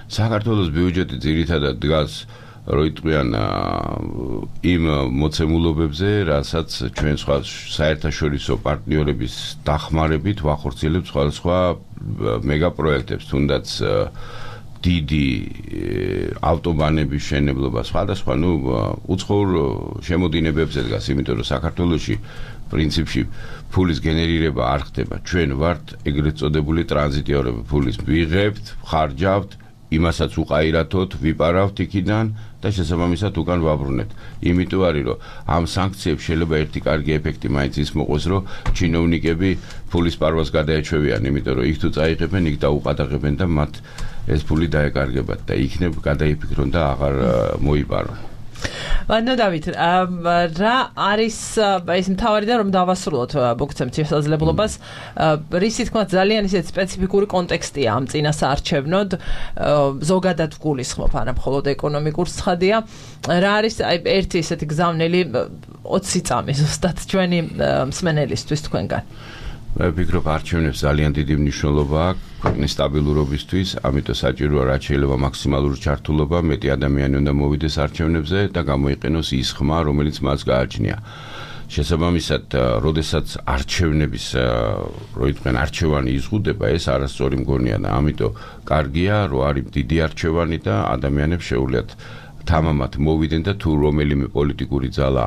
საქართველოს ბიუჯეტი ძირითადად დგას რო იტყვიან იმ მოცემულობებზე, რასაც ჩვენ სხვა საერთაშორისო პარტნიორების დახმარებით ვახორციელებთ სხვადასხვა მეგაპროექტებს, თუნდაც დიდი ავტობანების მშენებლობა, სხვადასხვა, უცხოურ შემოდინებებზე დგას, იმიტომ რომ საქართველოში პრინციპში ფულის გენერირება არ ხდება. ჩვენ ვართ ეგრეთ წოდებული ტრანზიტიორები, ფულის ვიღებთ, ხარჯავთ, იმასაც უყაირათოთ, ვიპარავთ იქიდან და შესაბამისად უკან ვაბრუნებთ. იმიტომ არის, რომ ამ სანქციებს შეიძლება ერთი კარგი ეფექტი მაინც ის მოყოს, რომ ჩინოვნიკები ფულის პარვას გადაეჩვევიან, იმიტომ რომ იქ თუ წაიღებენ, იქ დაუყადაღებენ და მათ ეს ფული დაეკარგებათ და იქნებ გადაიფიქრონ და აღარ მოიპარონ. ბატონო დავით, რა არის ეს მთავარი და რომ დავასრულოთ მოგცემთ შესაძლებლობას, რისი თქმა ძალიან ისეთ სპეციფიკური კონტექსტია ამ წინასაარჩევნოდ, ზოგადად გულისხმობ, არა მხოლოდ ეკონომიკურ ცხადია. რა არის ერთი ესეთი გზავნილი 20 წამი ზუსტად ჩვენი მსმენელისთვის თქვენგან? მე ვფიქრობ არჩევნებს ძალიან დიდი მნიშვნელობა აქვს ქვეყნის სტაბილურობისთვის, ამიტომ საჭიროა რაც შეიძლება მაქსიმალური ჩართულობა, მეტი ადამიანი უნდა მოვიდეს არჩევნებზე და გამოიყენოს ის ხმა, რომელიც მას გააჩნია. შესაბამისად, როდესაც არჩევნების არჩევანი იზღუდება, ეს არასწორი მგონია და ამიტომ კარგია, რომ არის დიდი არჩევანი და ადამიანებს შეუძლიათ თამამად მოვიდნენ და თუ რომელიმე პოლიტიკური ძალა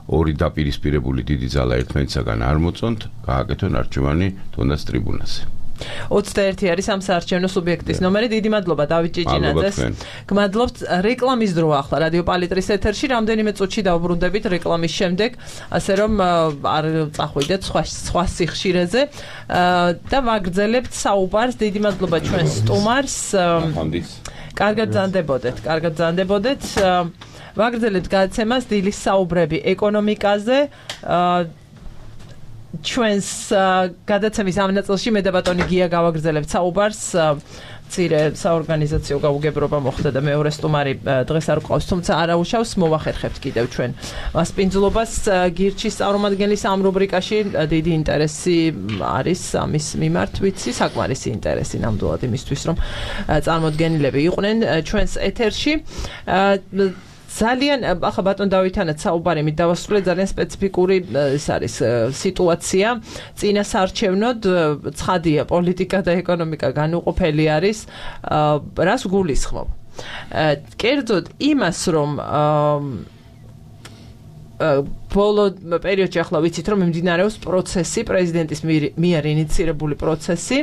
ორი დაპირისპირებული დიდი ძალა ერთმანეთსაგან არ მოწონთ, გააკეთონ არჩევანი თუნდაც ტრიბუნაზე. 21 არის ამ საარჩევნო სუბიექტის ნომერი. დიდი მადლობა დავით ჭიჭინაძეს. გმადლობთ. რეკლამის დრო ახლა რადიო პალიტრის ეთერში. რამდენიმე წუთში დავბრუნდებით რეკლამის შემდეგ, ასე რომ არ წახვიდეთ სხვა სიხშირეზე და ვაგრძელებთ საუბარს. დიდი მადლობა ჩვენს სტუმარს. კარგად ბრძანდებოდეთ. ვაგრძელებთ გადაცემას დილის საუბრები ეკონომიკაზე. ჩვენს გადაცემის ამ ნაწილში მე და ბატონი გია გავაგრძელებთ საუბარს. მცირე საორგანიზაციო გაუგებრობა მოხდა და მეორე სტუმარი დღეს არ გვყავს, თუმცა არაუშავს, მოვახერხებთ კიდევ ჩვენ მასპინძლობას. გირჩის წარმომადგენლის ამ რუბრიკაში დიდი ინტერესი არის ამის მიმართ, ვიცი, საკმარისი ინტერესი ნამდვილად იმისთვის, რომ წარმოდგენილები იყვნენ ჩვენს ეთერში. ძალიან ახლა ბატონ დავითანაც საუბარი მით დავასრულე, ძალიან სპეციფიკური ეს არის სიტუაცია. წინა საარჩევნოდ ცხადია, პოლიტიკა და ეკონომიკა განუყოფელი არის. რას გულისხმობ? კერძოდ იმას, რომ ბოლო პერიოდში ახლა ვიცით, რომ მიმდინარეობს პროცესი, პრეზიდენტის მიერ ინიცირებული პროცესი,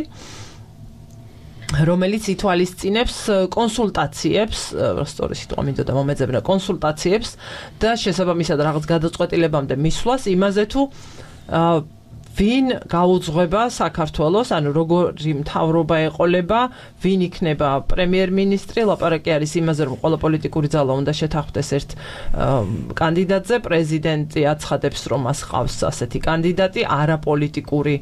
რომელიც ითვალისწინებს კონსულტაციებს, სწორი სიტყვა მინდოდა მომეძებნა, კონსულტაციებს და შესაბამისად რაღაც გადაწყვეტილებამდე მისვლას იმაზე თუ ვინ გაუძღვება საქართველოს, ანუ როგორი მთავრობა ეყოლება, ვინ იქნება პრემიერ-მინისტრი, ლაპარაკი არის იმაზე, რომ ყველა პოლიტიკური ძალა უნდა შეთანხმდეს ერთ კანდიდატზე, პრეზიდენტი აცხადებს, რომ მას ყავს ასეთი კანდიდატი, არაპოლიტიკური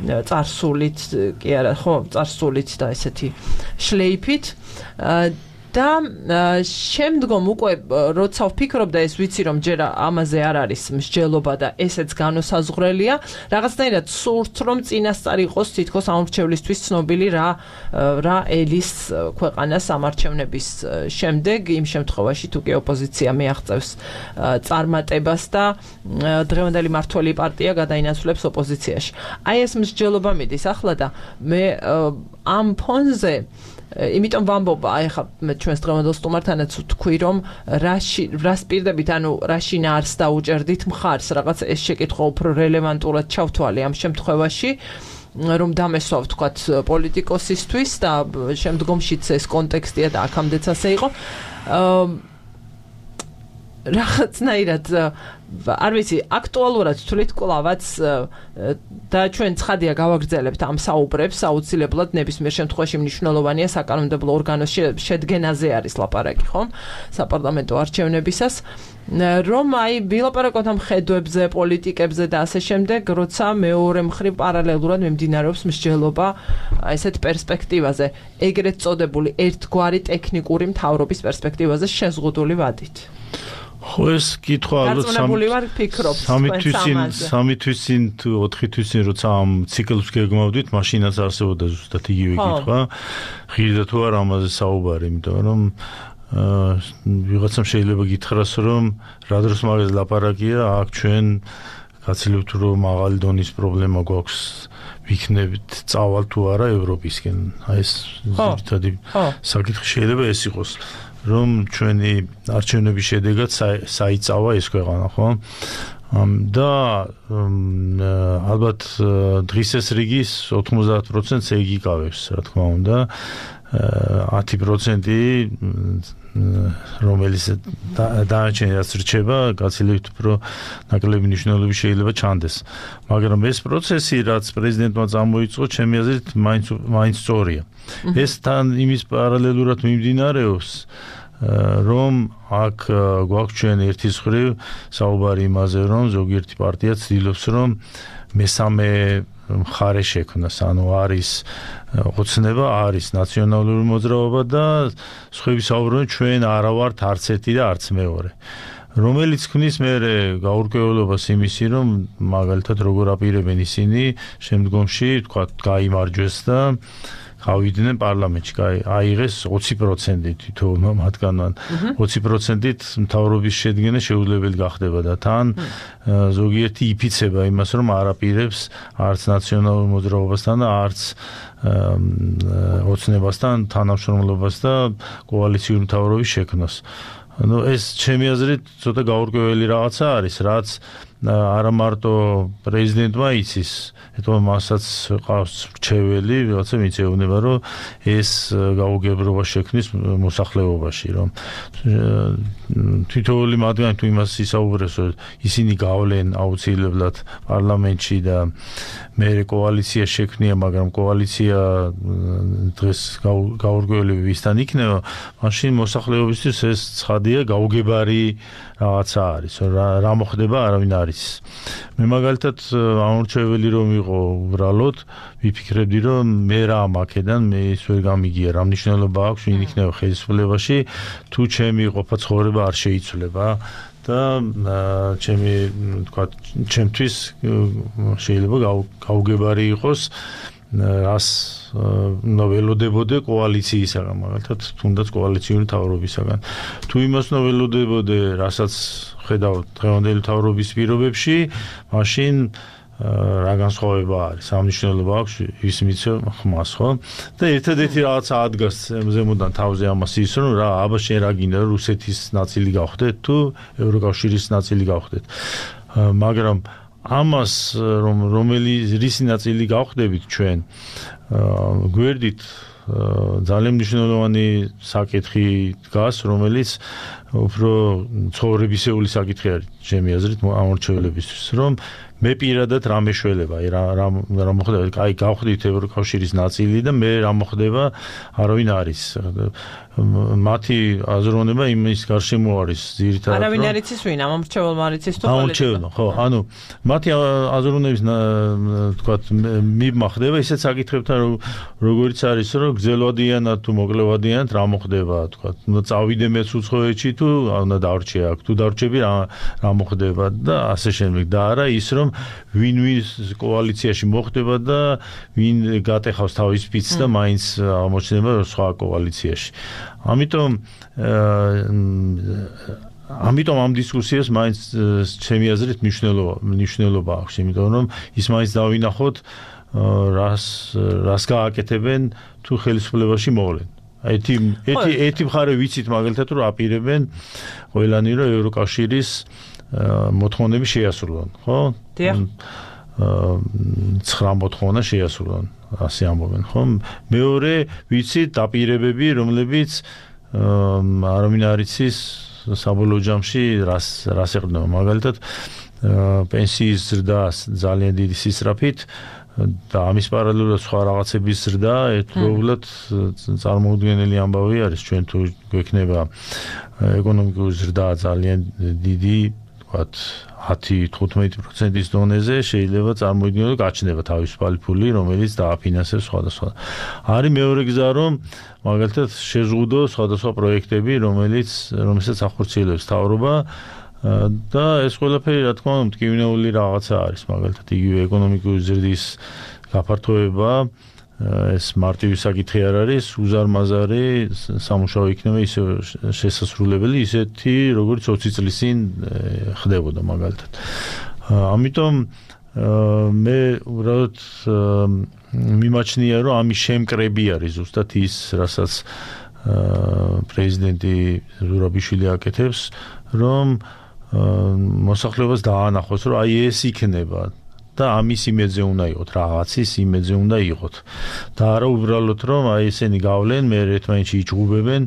წარსულით, კი არა, ხო, წარსულით და ესეთი შლეიფით. და შემდგომ უკვე როცა ვფიქრობ და ეს ვიცი რომ ჯერ ამაზე არ არის მსჯელობა და ესეც განოსაზღვრელია, რაღაცნაირად სურთ რომ წინასწარ იყოს თითქოს ამორჩევლისთვის ცნობილი რა ელის ქვეყანა სამარჩევნების შემდეგ, იმ შემთხვევაში თუ კი ოპოზიცია მიაღწევს წარმატებას და დღევანდელი მმართველი პარტია გადაინაცვლებს ოპოზიციაში. აი ეს მსჯელობა მიდის ახლა და მე ამ ფონზე იმიტომ ვამბობ, აი ხა მე ჩვენს დღევანდელ სტუმართანაც ვთქვი, რომ რას პირდებით, ანუ რა შინაარს დაუჭერდით მხარს, რაღაც ეს შეკითხვა უფრო რელევანტურად ჩავთვალე ამ შემთხვევაში, რომ დამესვა ვთქვათ პოლიტიკოსისთვის და შემდგომშიც ეს კონტექსტია და აქამდეც ასე იყო. რაღაცნაირად არ ვიცი, აქტუალურად თვლით კლავაც და ჩვენ ცხადია გავაგრძელებთ ამ საუბრებს, აუცილებლად ნებისმიერ შემთხვევაში მნიშვნელოვანია საკანონმდებლო ორგანოს შედგენაზე არის ლაპარაკი, ხო? საპარლამენტო არჩევნებისას, რომ აი ვილაპარაკოთ ამ ხედვებზე, პოლიტიკებზე და ასე შემდეგ, როცა მეორე მხრივ პარალელურად მიმდინარეობს მსჯელობა ესეთ პერსპექტივაზე, ეგრეთ წოდებული ერთგვარი ტექნიკური მთავრობის პერსპექტივაზე შეზღუდული ვადით. ხო ეს კითხვა ალბათ სამი თვის წინ თუ 4 თვის წინ როცა ამ ციკლს გეგმავდით, მაშინაც არსებობდა ზუსტად იგივე კითხვა. ღირდა თუ არა ამაზე საუბარი, იმიტომ რომ ვიღაცამ შეიძლება გითხრას, რომ რა დროს მაგას ლაპარაკია, აქ ჩვენ გაცილებთ რომ მაღალი დონის პრობლემა გვაქვს, ვიქნებით წავალ თუ არა ევროპისკენ. აი ეს ზუსტად საკითხი შეიძლება ეს იყოს. რომ ჩვენი არჩევნების შედეგად საიწავა ეს ქვეყანა, ხო? და ალბათ დღის ეს რიგის 90%-ს ეგ იკავებს, რა თქმა უნდა. 10% რომელიც დანარჩენი რაც რჩება, გაცილებით უფრო ნაკლები მნიშვნელობის შეიძლება ჩანდეს. მაგრამ ეს პროცესი, რაც პრეზიდენტმა წამოიწყო, ჩემი აზრით, მაინც სწორია. ეს თან იმის პარალელურად მიმდინარეობს, რომ აქ გვაქვს ჩვენ ერთის მხრივ საუბარი იმაზე, რომ ზოგიერთი პარტია ცდილობს, რომ მესამე მხარე შექმნას, ანუ არის ოცნება, არის ნაციონალური მოძრაობა და სხვები საუბრობენ, ჩვენ არა ვართ არც ერთი და არც მეორე. რომელიც ქმნის მე გაურკვევლობას იმისი, რომ მაგალითად როგორ აპირებენ ისინი შემდგომში, თქვა, გაიმარჯვეს და გავიდნენ პარლამენტში, აიღეს 20% თითოეულმა მათგანმა. 20%-ით მთავრობის შედგენა შეუძლებელი გახდება და თან ზოგიერთი იფიცება იმას, რომ არ აპირებს არც ნაციონალურ მოძრაობასთან და არც ოცნებასთან თანამშრომლობას და კოალიციური მთავრობის შექმნას. ეს ჩემი აზრით ცოტა გაურკვეველი რაღაცა არის, რაც არა მარტო პრეზიდენტმა იცის, ეთქვა მასაც ყავს რჩეველი, რაღაცა მიწეუნება, რომ ეს გაუგებრობა შექმნის მოსახლეობაში, რომ თითოეული მათგანი თუ იმას ისაუბრებს, რომ ისინი გავლენ აუცილებლად პარლამენტში და მე კოალიცია შექმნია, მაგრამ კოალიცია დღეს გაურკვეველი ვისთან იქნება, მაშინ მოსახლეობისთვის ეს ცხადია გაუგებარი რაღაცა არის, რა მოხდება, არავინ არ იცის. მე მაგალითად ამორჩეველი რომ იყო უბრალოდ ვიფიქრებდი, რომ მე რა მაქედან მე ის ვერ გამიგია, რა მნიშვნელობა აქვს ვინ იქნება ხელისუფლებაში, თუ ჩემი ყოფა ცხოვრება არ შეიცვლება და ჩემი თქვა ჩემთვის შეიძლება გაუგებარი იყოს რას ნოველოდებოდე კოალიციისაგან, მაგალითად თუნდაც კოალიციური მთავრობისაგან. თუ იმას ნოველოდებოდე, რასაც ხედავ დღევანდელი მთავრობის პირობებში, მაშინ რა განსხვავება არის, სამნიშნელობა აქვს ის მიცემ ხმას, ხო? და ერთადერთი რაღაცა ადგას ზემოდან თავზე ამას ის, რომ რა აბა შენ რა გინდა, რუსეთის ნაწილი გავხდეთ თუ ევროკავშირის ნაწილი გავხდეთ. მაგრამ ამას რის ნაწილი გავხდებით ჩვენ გვერდით ძალიან მნიშვნელოვანი საკითხი დგას, რომელიც უფრო ცხოვრებისეული საკითხი არის ჩემი აზრით ამორჩევლებისთვის, რომ მე პირადად რა მეშველება, რა მოხდება, აი გავხდით ევროკავშირის ნაწილი და მე რა მოხდება, არავინ არის. მათი აზროვნება იმის გარშემო არის ძირითადად. არავინ არ იცის ვინ, ამორჩეველმა არ იცის თუ ამორჩეველმა, ხო, ანუ მათი აზროვნების თქვათ მიბმა ხდება ისეთ საკითხებთან, როგორიც არის, რომ გრძელვადიანად თუ მოკლევადიანად რა მოხდება, თქვათ, უნდა წავიდე მეც უცხოეთში თუ უნდა დარჩე აქ, თუ დარჩები რა მოხდება და ასე შემდეგ და არა ის, რომ ვინ კოალიციაში მოხდება და ვინ გატეხავს თავის ფიცს და მაინც აღმოჩნდება სხვა კოალიციაში. ამიტომ ამ დისკუსიას მაინც ჩემი აზრით მნიშვნელობა აქვს, იმიტომ რომ ის მაინც დავინახოთ რას გააკეთებენ თუ ხელისუფლებაში მოვლენ. ერთი მხარე ვიცით მაგალითად რომ აპირებენ ყველანი რომ ევროკავშირის მოთხოვნები შეასრულონ, ხო? დიახ. 9 მოთხოვნა შეასრულონ, ასე ამბობენ, ხო? მეორე ვიცით დაპირებები, რომლებიც არავინ არ იცის საბოლოო ჯამში რას ეყრდნობა. მაგალითად პენსიის ზრდა ძალიან დიდი სისწრაფით და ამის პარალელურად სხვა რაღაცების ზრდა ერთდროულად წარმოუდგენელი ამბავი არის. ჩვენ თუ გვექნება ეკონომიკური ზრდა ძალიან დიდი, ვთქვათ 10-15%-ის დონეზე შეიძლება წარმოიდგინოთ, გაჩნდება თავისუფალი ფული, რომელიც დააფინანსებს სხვადასხვა. არის მეორე გზა, რომ მაგალითად შეზღუდო სხვადასხვა პროექტები, რომელსაც ახორციელებს მთავრობა და ეს ყველაფერი რა თქმა უნდა მტკივნეული რაღაცა არის, მაგალითად იგივე ეკონომიკური ზრდის გაფართოება, ეს მარტივი საკითხი არ არის, უზარმაზარი სამუშაო იქნება ისე შესასრულებელი, ისეთი როგორც 20 წლის წინ ხდებოდა მაგალითად. ამიტომ მე უბრალოდ მიმაჩნია, რომ ამის შემკრები არის ზუსტად ის, რასაც პრეზიდენტი ზურაბიშვილი აკეთებს, რომ მოსახლეობას დაანახოს, რომ აი ეს იქნება და ამის იმედზე უნდა იყოთ, რაღაცის იმედზე უნდა იყოთ. და არა უბრალოდ რომ აი ესენი გავლენ, მე ერთმანეთში იჭუბებენ,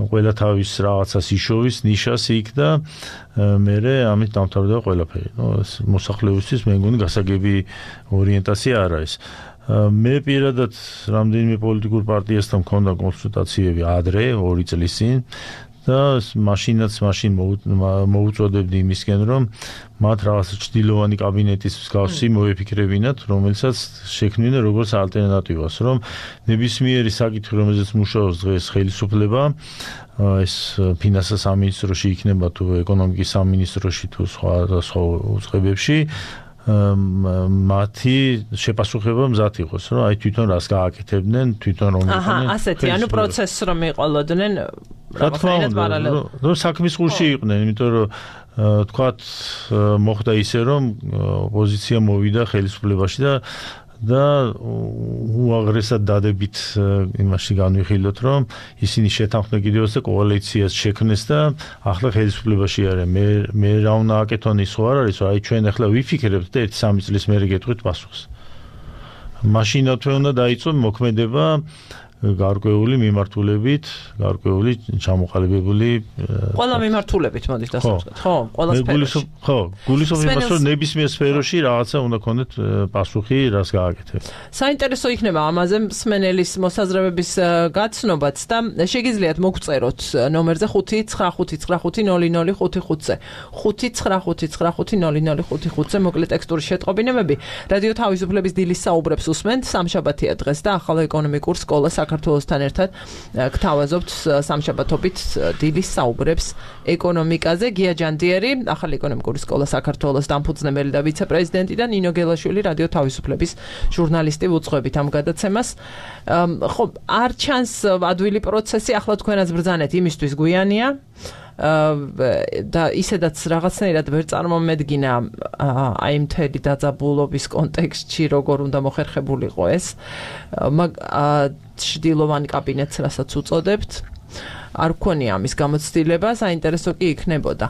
ყველა თავის რაღაცას იშოვის, ნიშას იქ და მე ამით დამთავრდება ყველაფერი. მოსახლეობისთვის მე მგონი გასაგები ორიენტაცია არ არის. მე პირადად რამდენიმე პოლიტიკურ პარტიასთან მქონდა კონსულტაციები ადრე 2 წლის წინ და მაშინაც მოუწოდებდი იმისკენ, რომ მათ რაღაც ჭდილოვანი კაბინეტის მსგავსი მოეფიქრებინათ, რომელსაც შექმნიდნენ როგორც ალტერნატივას, რომ ნებისმიერი საკითხი, რომელზეც მუშაობს დღეს ხელისუფლება, ეს ფინანსთა სამინისტროში იქნება თუ ეკონომიკის სამინისტროში თუ სხვა უწყებებში, მათი შეპასუხება მზად იყოს, რომ აი თვითონ რას გააკეთებდნენ, თვითონ რომ იყვნენ. ასეთი, ანუ პროცესს რომ იყოლოდნენ რაღაცნაირად პარალელურად. რომ საქმის გულში იყვნენ, იმიტომ რომ თქვათ მოხდა ისე, რომ ოპოზიცია მოვიდა ხელისუფლებაში და უაღრესად დადებით იმაში განვიხილოთ, რომ ისინი შეთანხმდნენ კიდევაც და კოალიციას შექმნეს და ახლა ხელისუფლებაში არიან. მე რა უნდა აკეთონ ის ხო არ არის, რომ აი ჩვენ ახლა ვიფიქრებთ და 1-3 წლის მერე გეტყვით პასუხს. მაშინათვე უნდა დაიწყო მოქმედება გარკვეული მიმართულებით, გარკვეული ჩამოყალიბებული ყველა მიმართულებით მოდის დასაწყოთ, ხო? ყველა სფეროში. ხო, გულისხმობს იმას, რომ ნებისმიერ სფეროში რაღაცა უნდა ქონდეთ პასუხი, რას გააკეთებთ. საინტერესო იქნება ამაზე მსმენელის მოსაზრებების გაცნობაც და შეგიძლიათ მოგწეროთ ნომერზე 595500555-ზე 595500555-ზე მოკლე ტექსტური შეტყობინებები. რადიო თავისუფლების დილის საუბრებს უსმენთ, სამშაბათია დღეს და ახალ ეკონომიკურ სკოლას საქართველოსთან ერთად გთავაზობთ სამშაბათობით დილის საუბრებს ეკონომიკაზე. გია ჯანდიერი, ახალი ეკონომიკური სკოლა საქართველოს დამფუძნებელი და ვიცე-პრეზიდენტი და ნინო გელაშვილი, რადიო თავისუფლების ჟურნალისტი ვუძღვებით ამ გადაცემას. ხო, არ ჩანს ადვილი პროცესი, ახლა თქვენაც ბრძანეთ იმისთვის გვიანია. და ისედაც რაღაცნაირად ვერ წარმომედგინა აი მთელი დაძაბულობის კონტექსტში როგორ უნდა მოხერხებულიყო ეს ჭდილოვანი კაბინეტს რასაც უწოდებთ არ გქონია ამის გამოცდილება საინტერესო კი იქნებოდა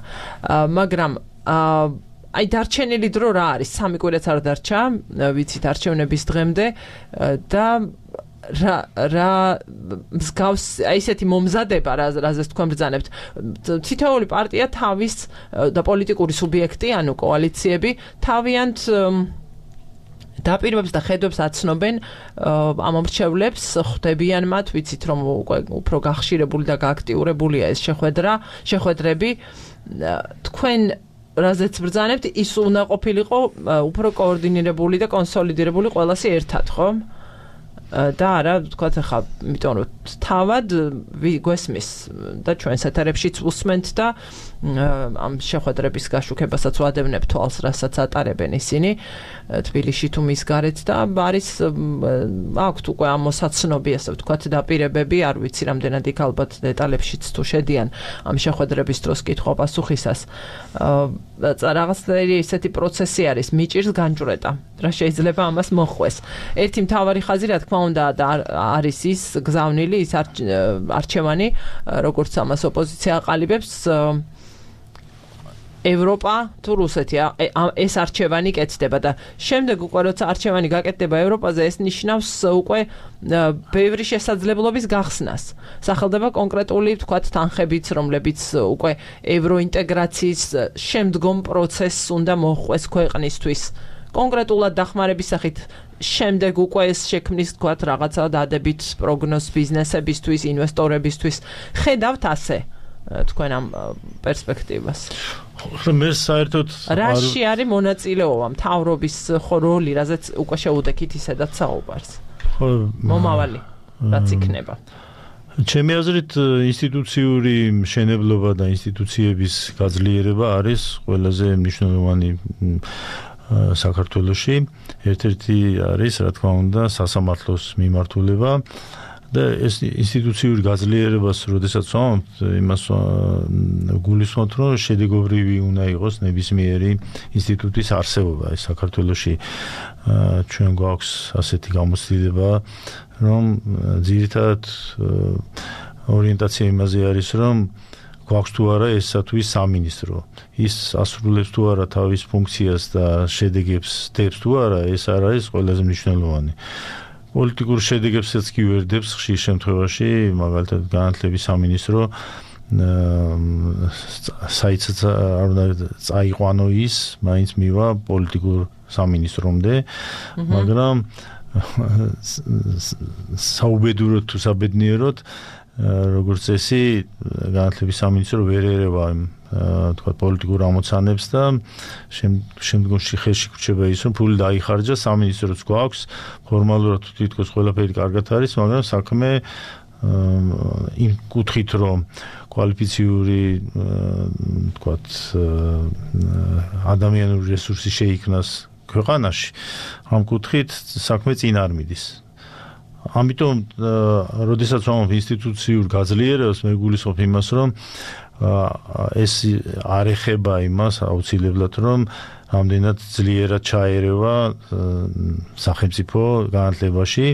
მაგრამ აი დარჩენილი დრო რა არის 3 კვირაც არ დარჩა ვიცით არჩევნების დღემდე და რა მსგავს ისეთი მომზადება რაზეც თქვენ ბრძანებთ თითოეული პარტია თავის და პოლიტიკური სუბიექტი ანუ კოალიციები თავიანთ დაპირებებს და ხედვებს აცნობენ ამ მომრჩევლებს ხვდებიან მათ ვიცით რომ უფრო გახშირებული და გააქტიურებულია ეს შეხვედრები თქვენ რაზეც ბრძანებთ ის უნდა ყოფილიყო უფრო კოორდინირებული და კონსოლიდირებული ყველასი ერთად ხო და არა თქვა ხა იმიტომ რომ თავად გვესმის და ჩვენ სათარებშიც ვუსმენთ და ამ შეხვედრების გაშუქებასაც ვადევნებ თვალს რასაც ატარებენ ისინი თბილისში თუ მის გარეთ და არის აქვთ უკვე ამ მოსაცნობი ასე ვთქვათ დაპირებები არ ვიცი რამდენად იქ ალბათ დეტალებშიც თუ შედიან ამ შეხვედრების დროს კითხვა-პასუხისას რაღაცნაირი ისეთი პროცესი არის მიჭირს განჭვრეტა რა შეიძლება ამას მოხვეს ერთი მთავარი ხაზი რა თქმა უნდა არის ის გზავნილი ის არჩევანი როგორც ამას ოპოზიცია აყალიბებს ევროპა თუ რუსეთი ეს არჩევანი კეთდება და შემდეგ უკვე როცა არჩევანი გაკეთდება ევროპაზე ეს ნიშნავს უკვე ბევრი შესაძლებლობის გახსნას სახელდება კონკრეტული ვთქვათ თანხებიც რომლებიც უკვე ევროინტეგრაციის შემდგომ პროცესს უნდა მოხვეს ქვეყნისთვის კონკრეტულად დახმარების სახით შემდეგ უკვე ეს შექმნის ვთქვათ რაღაცა დადებით პროგნოზ ბიზნესებისთვის ინვესტორებისთვის ხედავთ ასე თქვენ ამ პერსპექტივას მე საერთოდ რაში არის მონაწილეობა მთავრობის როლი რაზეც უკვე შეუდექით ისედაც საუბარს მომავალი რაც იქნება ჩემი აზრით ინსტიტუციური მშენებლობა და ინსტიტუციების გაძლიერება არის ყველაზე მნიშვნელოვანი საქართველოში ერთ-ერთი არის რა თქმა უნდა სასამართლოს მიმართულება და ეს ინსტიტუციური გაძლიერებას როდესაც ვამბობთ იმას გულისხმობთ რომ შედეგობრივი უნდა იყოს ნებისმიერი ინსტიტუტის არსებობა ეს საქართველოში ჩვენ გვაქვს ასეთი გამოცდილება რომ ძირითადად ორიენტაცია იმაზე არის რომ გვაქვს თუ არა ესა თუ ის სამინისტრო ის ასრულებს თუ არა თავის ფუნქციას და შედეგებს დებს თუ არა ეს არ არის ყველაზე მნიშვნელოვანი პოლიტიკურ შედეგებსაც კი ვერდებს ხშირ შემთხვევაში მაგალითად განათლების სამინისტრო საიცაც არ უნდა წაიყვანო ის მაინც მივა პოლიტიკურ სამინისტრომდე მაგრამ საუბედუროდ თუ საბედნიეროდ როგორც წესი განათლების სამინისტრო ვერ ერევა თქვა პოლიტიკურ ამოცანებს და შემდგომში ხელში გვჭირდება ის რომ ფული დაიხარჯა სამინისტროც გვაქვს ფორმალურად თითქოს ყველაფერი კარგად არის მაგრამ საქმე იმ კუთხით რომ კვალიფიციური თქვა ადამიანური რესურსი შეიქმნას ქვეყანაში ამ კუთხით საქმე წინ არ მიდის ამიტომ როდესაც ვამბობ ინსტიტუციურ გაძლიერებას მე გულისხმობ იმას რომ ეს არ ეხება იმას აუცილებლად რომ რამდენად ძლიერად ჩაერევა სახელმწიფო განათლებაში,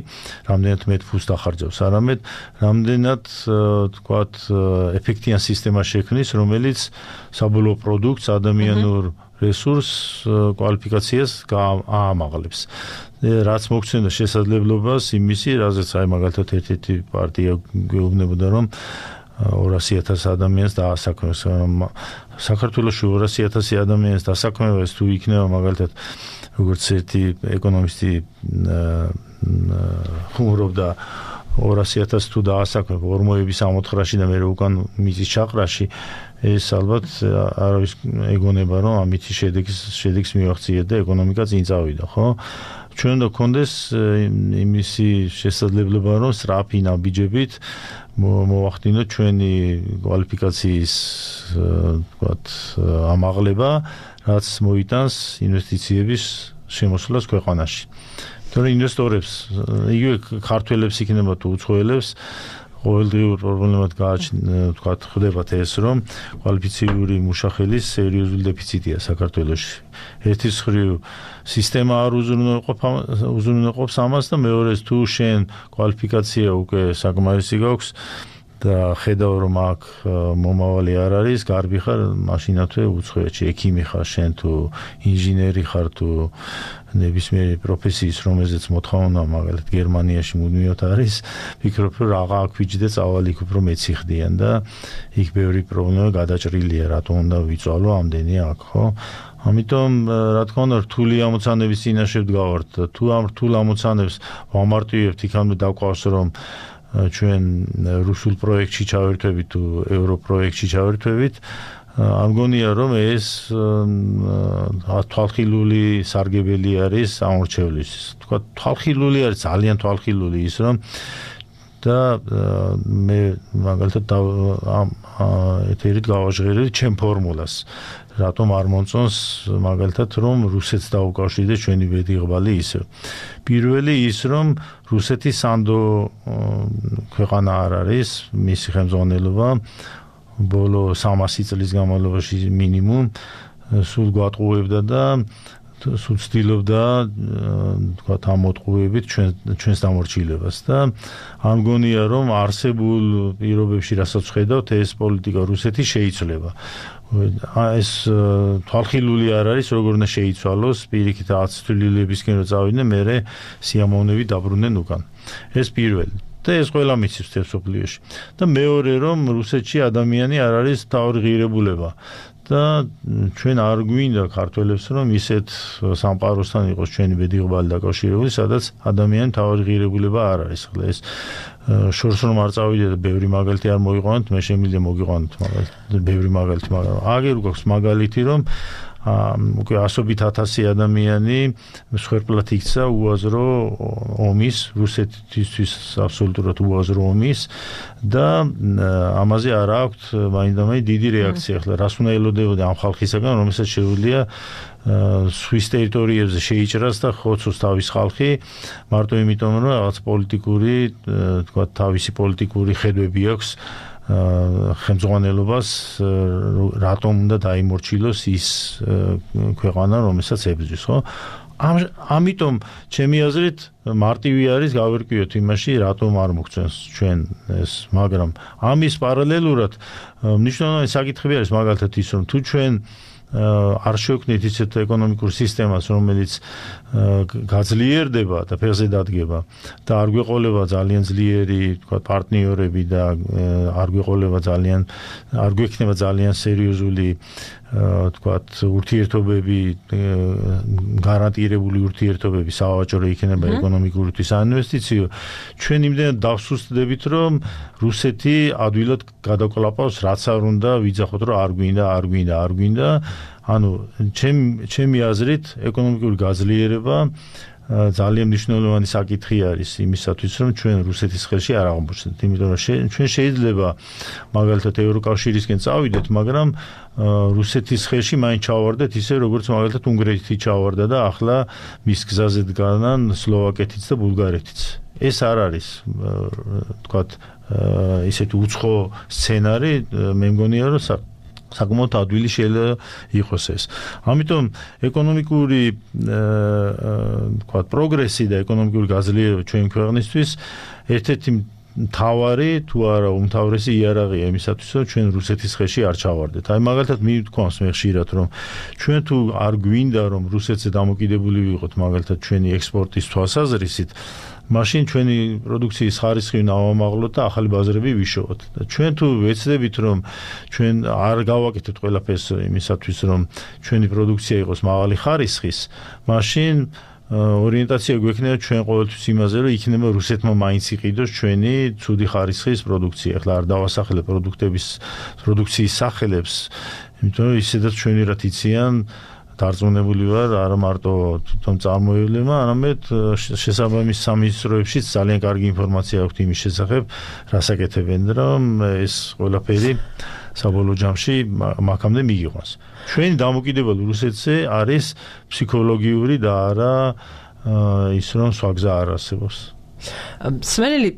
რამდენად მეტ ფულს დახარჯავს, არამედ რამდენად თქვათ ეფექტიან სისტემას შექმნის, რომელიც საბოლოო პროდუქტს ადამიანურ რესურსს კვალიფიკაციას აამაღლებს. რაც მოგცემდა შესაძლებლობას იმისი, რაზეც აი მაგალითად ერთ-ერთი პარტია გვეუბნებოდა რომ 200,000 ადამიანს დაასაქმეს. საქართველოში 200,000 ადამიანს დასაქმებას თუ იქნება მაგალითად როგორც ერთი ეკონომისტი ხუმრობდა 200,000 თუ დაასაქმებ ორმოების ამოთხრაში და მე უკან მიწის ჩაყრაში ეს ალბათ არავის ეგონება რომ ამითი შედეგს მივახციეთ და ეკონომიკა წინ წავიდა, ხო? ჩვენ უნდა გქონდეს იმისი შესაძლებლობა რომ სწრაფი ნაბიჯებით მოვახდინოთ ჩვენი კვალიფიკაციის თქვათ ამაღლება, რაც მოიტანს ინვესტიციების შემოსვლას ქვეყანაში. თორე ინვესტორებს, იგივე ქართველებს იქნება თუ უცხოელებს ყოველდღიურ პრობლემად თქვათ ხდებათ ეს რომ კვალიფიციური მუშახელის სერიოზული დეფიციტია საქართველოში. ერთის მხრივ სისტემა არ უზრუნველყოფს ამას და მეორეს თუ შენ კვალიფიკაცია უკვე საკმარისი გაქვს და ხედავ რომ აქ მომავალი არ არის, გარბი ხარ მაშინათვე უცხოეთში ექიმი ხარ შენ თუ ინჟინერი ხარ თუ ნებისმიერი პროფესიის რომელზეც მოთხოვნა მაგალითად გერმანიაში მუდმივად არის, ვფიქრობ რომ რაღა აქვიჯდა წავალი იქ უფრო მეციხდიან და იქ ბევრი პრობლემა გადაჭრილია, რატომ უნდა ვიწვალო ამდენი აქ, ხო? ამიტომ რა თქმა უნდა რთული ამოცანების წინაშე ვდგავართ და თუ ამ რთულ ამოცანებს ვამარტივებთ იქამდე დაგვყავს რომ ჩვენ რუსულ პროექტში ჩავერთვებით თუ ევრო პროექტში ჩავერთვებით ამგონია რომ ეს თვალხილული სარგებელი არის ამორჩევლის. თქვა თვალხილული არის ძალიან თვალხილული ის რომ და მე მაგალითად ეთერით გავაჟღერებ ჩემ ფორმულას. რატომ არ მომწონს მაგალითად რომ რუსეთს დაუკავშირდეს ჩვენი ბედიღბალი ისე. პირველი ის რომ რუსეთი სანდო ქვეყანა არ არის, მისი ხელმძღვანელობა ბოლო 300 წლის განმავლობაში მინიმუმ სულ გვატყუებდა და სულ ცდილობდა თქვათ ამ მოტყუებით ჩვენს დამორჩილებას და ამგონია რომ არსებულ პირობებში რასაც ხედავთ ეს პოლიტიკა რუსეთის შეიცვლება. ეს თვალხილული არ არის როგორ უნდა შეიცვალოს პირიქით 10 თვლილებისკენ რომ წავიდნენ მერე სიამოვნებით დაბრუნდნენ უკან. ეს პირველი და ეს ყველა მიცის მსოფლიოში. და მეორე რომ რუსეთში ადამიანი არ არის თავი ღირებულება და ჩვენ არ გვინდა ქართველებს რომ ისეთ სამყაროსთან იყოს ჩვენი ბედიღბალი დაკავშირებული, სადაც ადამიანი თავი ღირებულება არ არის. ხლა ეს შორს რომ არ წავიდე და ბევრი მაგალითი არ მოიყვანოთ, მე შემიძლია მოგიყვანოთ მაგალითი, ბევრი მაგალითი, მაგრამ აგერ გვაქვს მაგალითი რომ უკვე 100,000 ადამიანი მსხვერპლად იქცა უაზრო ომის, რუსეთისთვის აბსოლუტურად უაზრო ომის და ამაზე არ აქვთ მაინდამაინც დიდი რეაქცია. ახლა რას უნდა ელოდებოდა ამ ხალხისაგან, რომელსაც შეუძლია სვის ტერიტორიებზე შეიჭრას და ხოცოს თავის ხალხი მარტო იმიტომ რომ რაღაც პოლიტიკური თქვა თავისი პოლიტიკური ხედვები აქვს ხელმძღვანელობას რატომ უნდა დაიმორჩილოს ის ქვეყანა რომელსაც ებრძვის, ხო? ამიტომ ჩემი აზრით მარტივი არის გავერკვიოთ იმაში რატომ არ მოგწონს ჩვენ ეს, მაგრამ ამის პარალელურად მნიშვნელოვანი საკითხები არის მაგალითად ის რომ თუ ჩვენ არ შევქმნით ისეთ ეკონომიკურ სისტემას რომელიც გაძლიერდება და ფეხზე დადგება და არ გვეყოლება ძალიან ძლიერი თქვა პარტნიორები და არ გვექნება ძალიან სერიოზული თქვათ ურთიერთობები გარანტირებული ურთიერთობები სავაჭრო იქნება ეკონომიკური თუ საინვესტიციო ჩვენ იმდენად დავსუსტდებით რომ რუსეთი ადვილად გადაკლაპავს რაც არ უნდა ვიძახოთ რომ არ გვინდა ანუ ჩემი აზრით ეკონომიკური გაძლიერება ძალიან მნიშვნელოვანი საკითხი არის იმისათვის რომ ჩვენ რუსეთის ხელში არ აღმოჩნდეთ იმიტომ რომ ჩვენ შეიძლება მაგალითად ევროკავშირისკენ წავიდეთ მაგრამ რუსეთის ხელში მაინც ჩავარდეთ ისე როგორც მაგალითად უნგრეთი ჩავარდა და ახლა მის გზაზე დგანან სლოვაკეთიც და ბულგარეთიც ეს არ არის თქვათ ისეთი უცხო სცენარი მე მგონია რომ საკმაოდ ადვილი შეიძლება იყოს ეს. ამიტომ ეკონომიკური თქვათ პროგრესი და ეკონომიკური გაძლიერება ჩვენ ქვეყნისთვის ერთ-ერთი მთავარი თუ არა უმთავრესი იარაღია იმისათვის რომ ჩვენ რუსეთის ხელში არ ჩავარდეთ. აი მაგალითად მივთქვამს მე ხშირად რომ ჩვენ თუ არ გვინდა რომ რუსეთზე დამოკიდებული ვიყოთ მაგალითად ჩვენი ექსპორტის თვალსაზრისით მაშინ ჩვენი პროდუქციის ხარისხი ნავამაღლოთ და ახალი ბაზრები ვიშოვოთ. და ჩვენ თუ ვეცდებით რომ ჩვენ არ გავაკეთოთ ყველაფერს იმისათვის რომ ჩვენი პროდუქცია იყოს მაღალი ხარისხის, მაშინ ორიენტაცია გვექნება ჩვენ ყოველთვის იმაზე რომ იქნება რუსეთმა მაინც იყიდოს ჩვენი ცუდი ხარისხის პროდუქცია. ახლა არ დავასახელებ პროდუქციის სახელებს, იმიტომ რომ ისედაც ჩვენი რაც იციან დარწმუნებული ვარ არა მარტო თვითონ წარმოებლებმა, არამედ შესაბამის სამინისტროებშიც ძალიან კარგი ინფორმაცია აქვს იმის შესახებ, რას აკეთებენ რომ ეს ყველაფერი საბოლოო ჯამში მაგამდე მიიღოს. ჩვენი დამოკიდებულება რუსეთზე არის ფსიქოლოგიური და არა ის რომ სხვა გზა არ არსებობს. სმენელი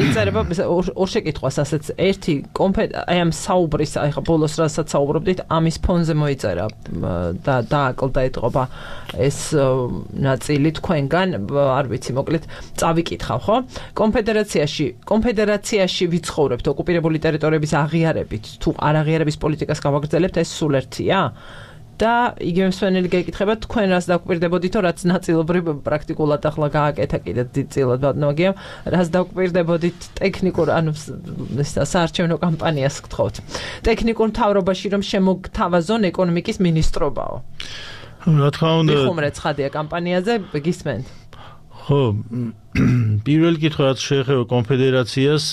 იწერება ორ შეკითხვას ასეც ერთი აი ამ საუბრის აი ხა ბოლოს რასაც საუბრობდით ამის ფონზე მოიწერა და დააკლდა ეთყობა ეს ნაწილი თქვენგან არ ვიცი მოკლედ წავიკითხავ ხო კონფედერაციაში ვიცხოვრებთ ოკუპირებული ტერიტორიების აღიარებით თუ არ აღიარების პოლიტიკას გავაგრძელებთ ეს სულ ერთია და იგივე მსვენელი გაიკითხება თქვენ რას დაგვირდებოდითო რაც ნაწილობრივ პრაქტიკულად ახლა გააკეთა კიდე დიდწილად ბატონოგიამ რას დაგვირდებოდით ტექნიკურ ანუ საარჩევნო კამპანიას გთხოვთ ტექნიკურ მთავრობაში რომ შემოგთავაზონ ეკონომიკის მინისტრობაო რა თქმა უნდა ხუმრეთ ხადია კამპანიაზე გისმენთ ხო პირველი კითხვა რაც შეეხება კონფედერაციას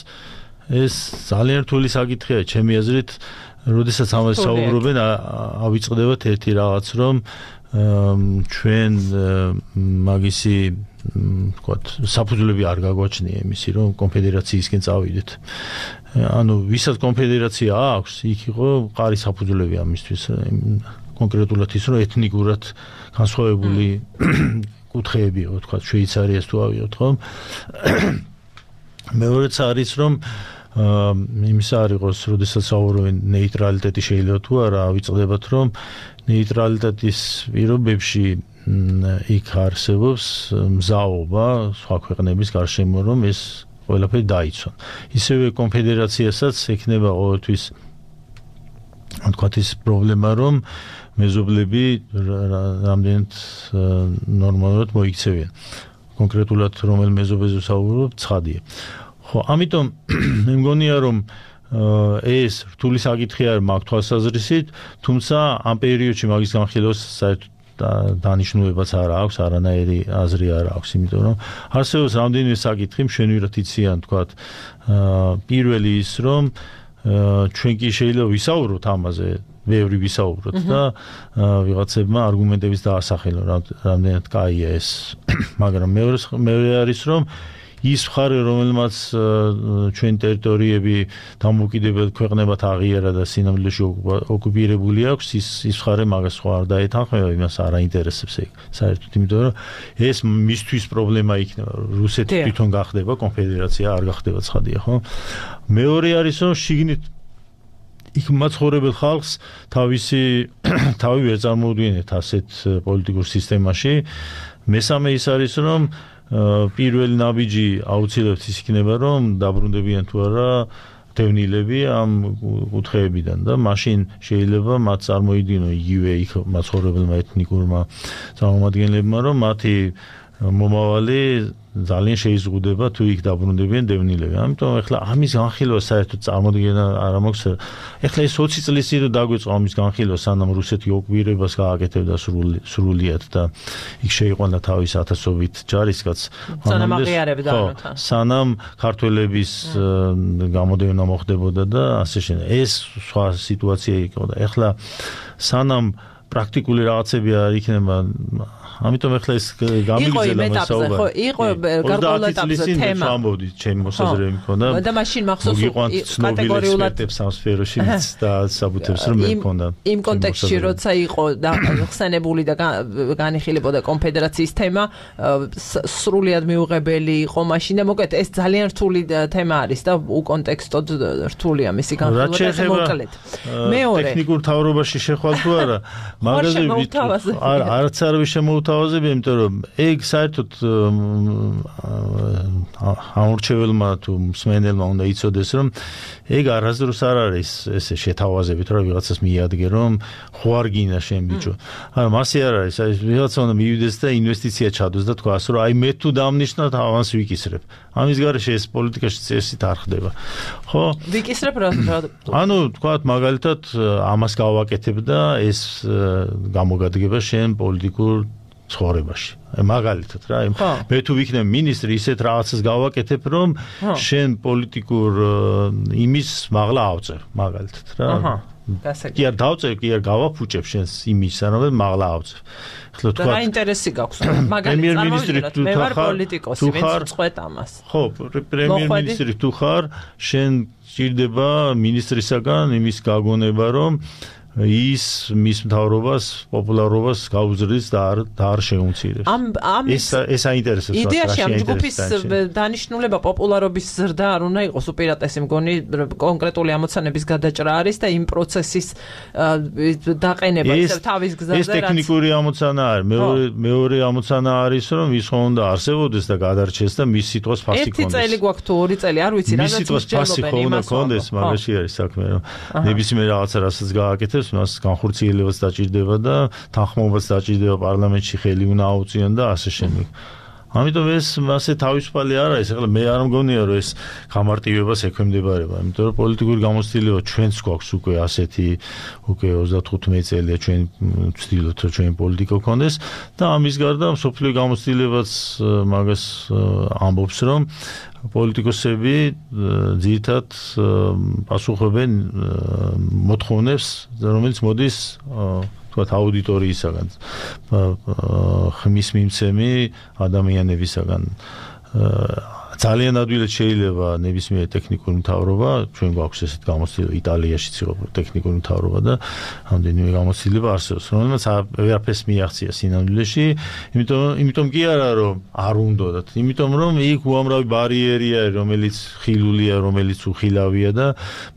ეს ძალიან რთული საკითხია ჩემი აზრით როდესაც ამას საუბრობენ ავიწყდებათ ერთი რაღაც რომ ჩვენ მაგისი ვთქვათ საფუძვლები არ გაგვაჩნია იმისი რომ კონფედერაციისკენ წავიდეთ ანუ ვისაც კონფედერაცია აქვს იქ იყო მყარი საფუძვლები ამისთვის კონკრეტულად ის რომ ეთნიკურად განსხვავებული კუთხეები იყო ვთქვათ შვეიცარიას თუ ავიღოთ ხო მეორეც არის რომ იმის არ იყოს, როდესაც საუბრობენ ნეიტრალიტეტი შეიძლება თუ არა, ავიწყდებათ რომ ნეიტრალიტეტის პირობებში იქ არსებობს მზაობა სხვა ქვეყნების გარშემო რომ ეს ყველაფერი დაიცვან. ისევე კონფედერაციასაც ექნება ყოველთვის თქვათ ის პრობლემა რომ მეზობლები რამდენად ნორმალურად მოიქცევიან. კონკრეტულად რომელ მეზობელზე საუბრობ, ცხადია. ხო, ამიტომ მე მგონია რომ ეს რთული საკითხი არის მაგ თვალსაზრისით, თუმცა ამ პერიოდში მაგის განხილვას საერთოდ დანიშნულებაც არ აქვს, არანაირი აზრი არ აქვს, იმიტომ რომ არსებობს რამდენიმე საკითხი, მშვენივრად იციან, თქვათ, პირველი ის რომ ჩვენ კი შეიძლება ვისაუბროთ ამაზე, ბევრი ვისაუბროთ და ვიღაცებმა არგუმენტების დაასახელონ, რამდენად კაია ეს, მაგრამ მეორე არის რომ ის მხარე რომელმაც ჩვენ ტერიტორიები დამოუკიდებელ ქვეყნებად აღიარა და სინამდვილეში ოკუპირებული აქვს ის მხარე მაგას სხვა არ დაეთანხმება იმას არ აინტერესებს ეგ საერთოდ იმიტომ რომ ეს მისთვის პრობლემა იქნება რუსეთი თვითონ გახდება კონფედერაცია არ გახდება ცხადია ხო მეორე არის რომ შიგნით იქ მაცხოვრებელ ხალხს თავი ვერ წარმოუდგენთ ასეთ პოლიტიკურ სისტემაში მესამე ის არის რომ პირველი ნაბიჯი აუცილებლად ის იქნება რომ დაბრუნდებიან თუ არა დევნილები ამ კუთხეებიდან და მაშინ შეიძლება მათ წარმოიდგინონ იგივე იქ მაცხოვრებელმა ეთნიკურმა წარმომადგენლებმა რომ მათი მომავალი ძალიან შეიზღუდება თუ იქ დაბრუნდებიან დევნილები. ამიტომ ეხლა ამის განხილვა საერთოდ წარმოდგენა არ მაქვს. ეხლა ეს 20 წლის წინ დაგვეწყო ამის განხილვა, სანამ რუსეთი ოკუპირებას გააკეთებდა სრულიად და იქ შეიყვანა თავის ათასობით ჯარისკაცს. სანამ აღიარებდა სანამ ქართველების გამოდევნა მოხდებოდა და ასე შემდეგ. ეს სხვა სიტუაცია იყო და ეხლა სანამ პრაქტიკული რაღაცები არ იქნება ამიტომ ახლა ეს გამიგზელა მასაუბარი. ხო, იყო გარკვეულ ეტაპზე თემა. ამბობდი, ჩემი მოსაზრება მქონდა. და მაშინ მახსოვს კატეგორიულად ამ სფეროში და საბუთებს რომ მქონდა. იმ კონტექსტში როცა იყო ხსენებული და განიხილებოდა კონფედერაციის თემა, სრულიად მიუღებელი იყო მაშინ და მოკლედ ეს ძალიან რთული თემა არის და უკონტექსტოდ რთულია მისი განხილვა მოკლედ. მეორე ტექნიკურ თავრობაში შეხვალ თუ არა, მაგაზე არც არავის შემოუთავაზებია, იმიტომ რომ ეგ საერთოდ ამორჩეველმა თუ მსმენელმა უნდა იცოდეს, რომ ეგ არასდროს არ არის ესე შეთავაზებით, რომ ვიღაცას მიადგე, რომ ხო არ გინდა შენ ბიჭო. არა, მასე არ არის, აი ვიღაცა უნდა მივიდეს და ინვესტიცია ჩადოს და თქვას, რომ აი მე თუ დამნიშნავ ავანს ვიკისრებ. ამის გარეშე ეს პოლიტიკაში წესით არ ხდება. ხო? ვიკისრებ რა? ანუ თქვათ მაგალითად ამას გავაკეთებ და ეს გამოგადგება შენ პოლიტიკურ ცხოვრებაში. მაგალითად რა, მე თუ ვიქნებ მინისტრი, ისეთ რაღაცას გავაკეთებ, რომ შენ პოლიტიკურ იმის მაღლა ავწევ, მაგალითად რა. კი არ დავწევ, კი არ გავაფუჭებ შენს იმის, არამედ მაღლა ავწევ. ახლა თქვა რა ინტერესი გაქვს? მაგალითად წარმოვიდგინოთ, მე ვარ პოლიტიკოსი, ვინც წყვეტ ამას. ხო, პრემიერ-მინისტრი თუ ხარ, შენ ჭირდება მინისტრისაგან იმის გაგონება, რომ ის მის მთავრობას, პოპულარობას გაუზრდის და არ შეუმცირებს. ეს აინტერესებს მას. იდეაში ამ ჯგუფის დანიშნულება პოპულარობის ზრდა არ უნდა იყოს უპირატესი, მგონი კონკრეტული ამოცანების გადაჭრა არის და იმ პროცესის დაყენება ისევ თავის გზაზე. ეს ტექნიკური ამოცანა არის. მეორე ამოცანა არის, რომ ის ხო უნდა არსებობდეს და გადარჩეს და მის სიტყვას ფასი ქონდეს. 1 წელი გვაქვს თუ 2 წელი, არ ვიცი, რაღაც მსჯელობენ იმას ქონდეს, მაგაში არის საქმე, რომ ნებისმიერ რაღაცა რასაც გააკეთებს მას განხორციელებაც დაჭირდება და თანხმობაც დაჭირდება პარლამენტში ხელი უნდა აუწიონ და ასე შემდეგ. ამიტომ ეს მასე თავისუფალი არ არის. ახლა მე არ მგონია რომ ეს გამარტივებას ექვემდებარება, იმიტომ რომ პოლიტიკური გამოცდილება ჩვენც გვაქვს უკვე ასეთი, უკვე 35 წელია ჩვენ ვცდილობთ რომ ჩვენი პოლიტიკა გქონდეს და ამის გარდა მსოფლიო გამოცდილებაც მაგას ამბობს, რომ პოლიტიკოსები ძირითადად პასუხობენ მოთხოვნებს, რომელიც მოდის თქვათ აუდიტორიისაგან, ხმის მიმცემი ადამიანებისაგან. ძალიან ადვილად შეიძლება ნებისმიერ ტექნიკურ მთავრობა, ჩვენ გვაქვს ესეთ გამოცდილება, იტალიაშიც იყო ტექნიკური მთავრობა და რამდენიმე გამოცდილება არსებობს, რომელმაც ვერაფერს მიაღწია სინამდვილეში, იმიტომ კი არა რომ არ უნდათ, იმიტომ რომ იქ უამრავი ბარიერია, რომელიც ხილულია, რომელიც უხილავია და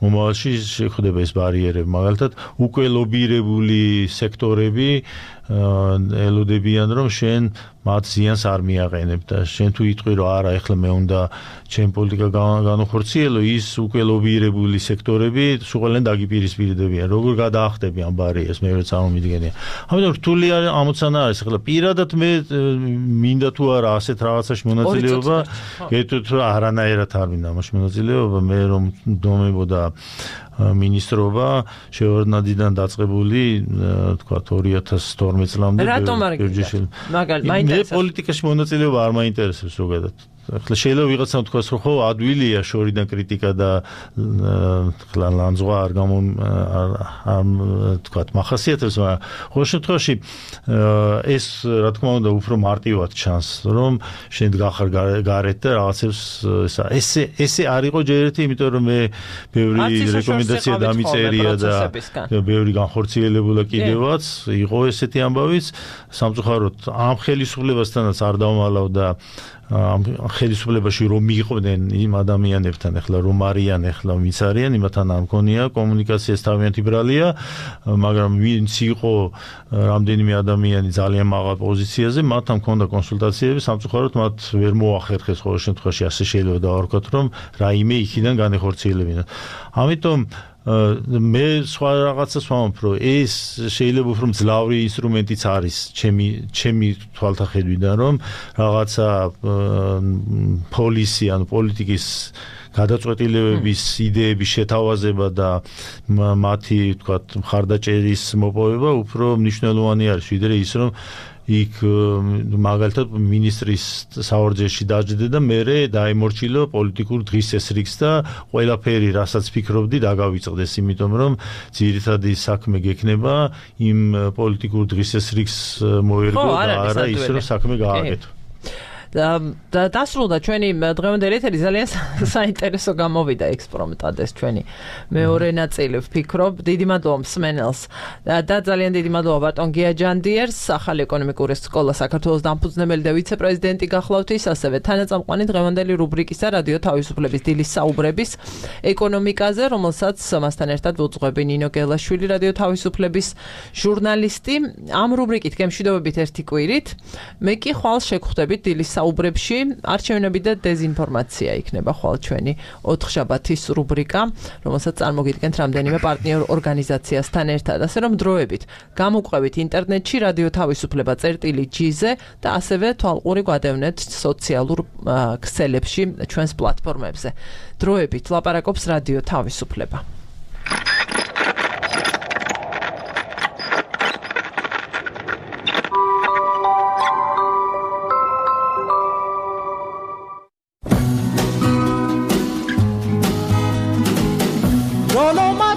მომავალში შეხვდება ეს ბარიერები, მაგალითად უკვე ლობირებული სექტორები ელოდებიან რომ შენ მათ ზიანს არ მიაყენებ და შენ თუ იტყვი რომ არა ეხლა მე უნდა ჩემ პოლიტიკა განუხორციელო, ის უკვე ლობირებული სექტორები სულ დაგიპირისპირდებიან, როგორ გადაახდები ამ ბარიერს, მე ვერ წარმომიდგენია. ამიტომ რთული ამოცანა არის. ახლა პირადად მე მინდა თუ არა ასეთ რაღაცაში მონაწილეობა, გეტყვით რომ არანაირად არ მინდა ამაში მონაწილეობა, მე რომ დომებოდა მინისტრობა შევარდნადიდან დაწყებული თქვა 2012 წლამდე. რატომ არ გინდა? მე პოლიტიკაში მონაწილეობა არ მაინტერესებს ზოგადად. ახლა შეიძლება ვიღაცამ თქვას რომ ხო ადვილია შორიდან კრიტიკა და ახლა ლანძღვა არ თქვა მახასიათებს, მაგრამ ყოველ შემთხვევაში ეს რა თქმა უნდა უფრო მარტივად ჩანს, რომ შენ გახარ გარეთ და რაღაცებს ესე არ იყო ჯერ ერთი, იმიტომ რომ მე ბევრი რეკომენდაცია დამიწერია და ბევრი განხორციელებულა კიდევაც იყო ესეთი ამბავიც. სამწუხაროდ ამ ხელისუფლებასთანაც არ დავმალავ და ამ ხელისუფლებაში რომ მიყვნენ იმ ადამიანებთან, ახლა რომ არიან, ახლა ვინც არიან, იმათთან არ მქონია კომუნიკაციას თავიანთი ბრალია, მაგრამ ვინც იყო რამდენიმე ადამიანი ძალიან მაღალ პოზიციაზე, მათთან მქონდა კონსულტაციები, სამწუხაროდ მათ ვერ მოახერხეს ყოველ შემთხვევაში, ასე შეიძლება დავარქვათ, რომ რაიმე იქიდან განეხორციელებინათ. ამიტომ მე სხვა რაღაცას ვამბობ, რომ ეს შეიძლება უფრო მძლავრი ინსტრუმენტიც არის ჩემი თვალთახედვიდან, რომ რაღაცა პოლისი ან პოლიტიკის გადაწყვეტილებების იდეების შეთავაზება და მათი, თქვათ, მხარდაჭერის მოპოვება უფრო მნიშვნელოვანი არის, ვიდრე ის, რომ იქ მაგალითად მინისტრის საორჯეში დაждდე და მერე დაემორჩილო პოლიტიკურ დღის წესრიგს და ყველაფერი, რასაც ფიქრობდი, დაგავიწყდეს, იმიტომ რომ ძირითადი საქმე გექნება იმ პოლიტიკურ დღის წესრიგს მოერგო და არა ის, რომ საქმე გააკეთო. და დასრულდა ჩვენი დღევანდელი ეთერი ძალიან საინტერესო გამოვიდა ექსპერიმენტად ეს ჩვენი მეორე ნაწილი ვფიქრობ. დიდი მადლობა მსმენელს და ძალიან დიდი მადლობა ბატონ გიაჯანდიერს, ახალი ეკონომიკური სკოლა საქართველოს დამფუძნებელი და ვიცე-პრეზიდენტი გახლავთ ის, ასევე თანაწამყვანი დღევანდელი რუბრიკისა რადიო თავისუფლების დილის საუბრების ეკონომიკაზე, რომელსაც მასთან ერთად ვუძღვები ნინო გელაშვილი, რადიო თავისუფლების ჟურნალისტი. ამ რუბრიკით გემშვიდობებით ერთი კვირით. მე კი ხვალ შეგხვდებით დილის საუბრებში, არჩევნები და დეзинფორმაცია იქნება ხვალ ჩვენი 4 შაბათის რუბრიკა, რომელსაც წარმოგიდგენთ რამდენიმე პარტნიორ ორგანიზაციასთან ერთად. ასე რომ დროებით გამოყვებით ინტერნეტში რადიო თავისუფლება წერტილი.gz-ზე და ასევე თვალყური გვადევნეთ სოციალურ ქსელებში ჩვენს პლატფორმებზე. დროებით ლაპარაკობს რადიო თავისუფლება.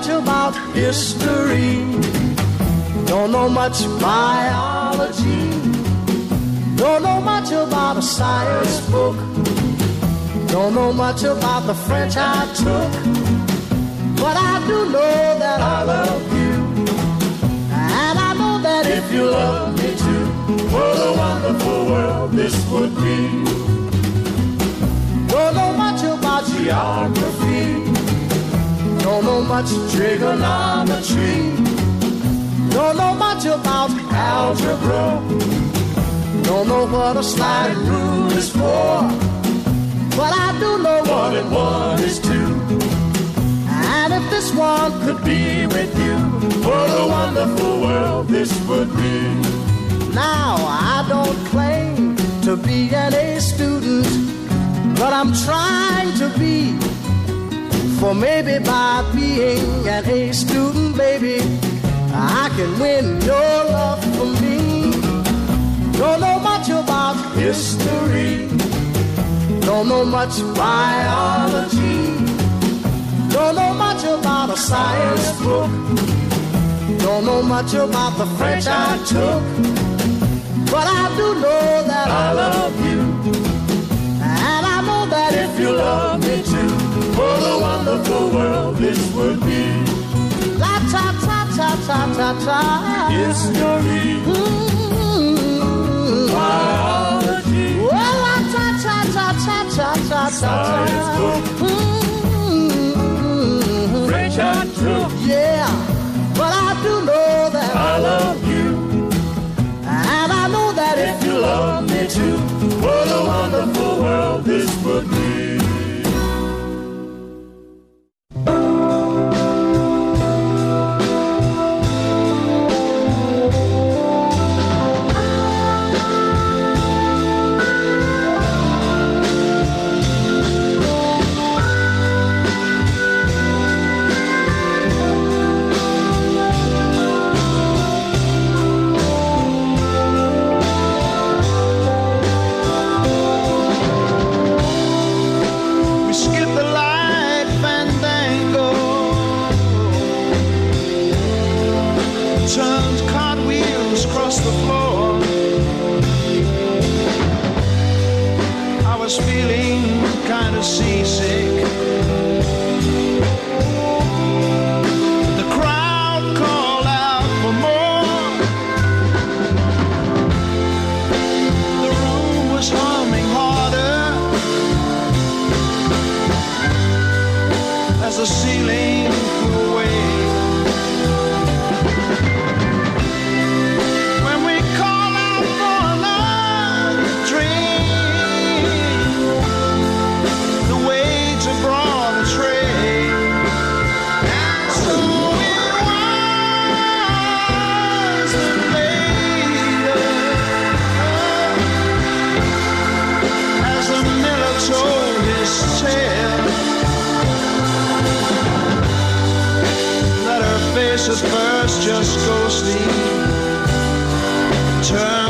About history, don't know much biology, don't know much about a science book, don't know much about the French I took, but I do know that I love you, and I know that if you love me too, what a wonderful world this would be. Don't know much about geography, don't know much trigonometry, don't know much about algebra, don't know what a sliding rule is for, but I do know 1 and 1 is 2. And if this one could be with you, what a wonderful world this would be. Now I don't claim to be an A student, but I'm trying to be. For maybe by being an A student, baby, I can win your love for me. Don't know much about history, don't know much biology, don't know much about a science book, don't know much about the French I took, but I do know that I love you, and I know that if you love me too, what a wonderful world this would be. La ta ta ta ta ta ta. History. Biology. Well, la ta ta ta ta ta ta ta. Science book. French I took. Yeah, but I do know that I love you, and I know that if you love me too, what a wonderful world this would be. said that her face at first just ghostly turned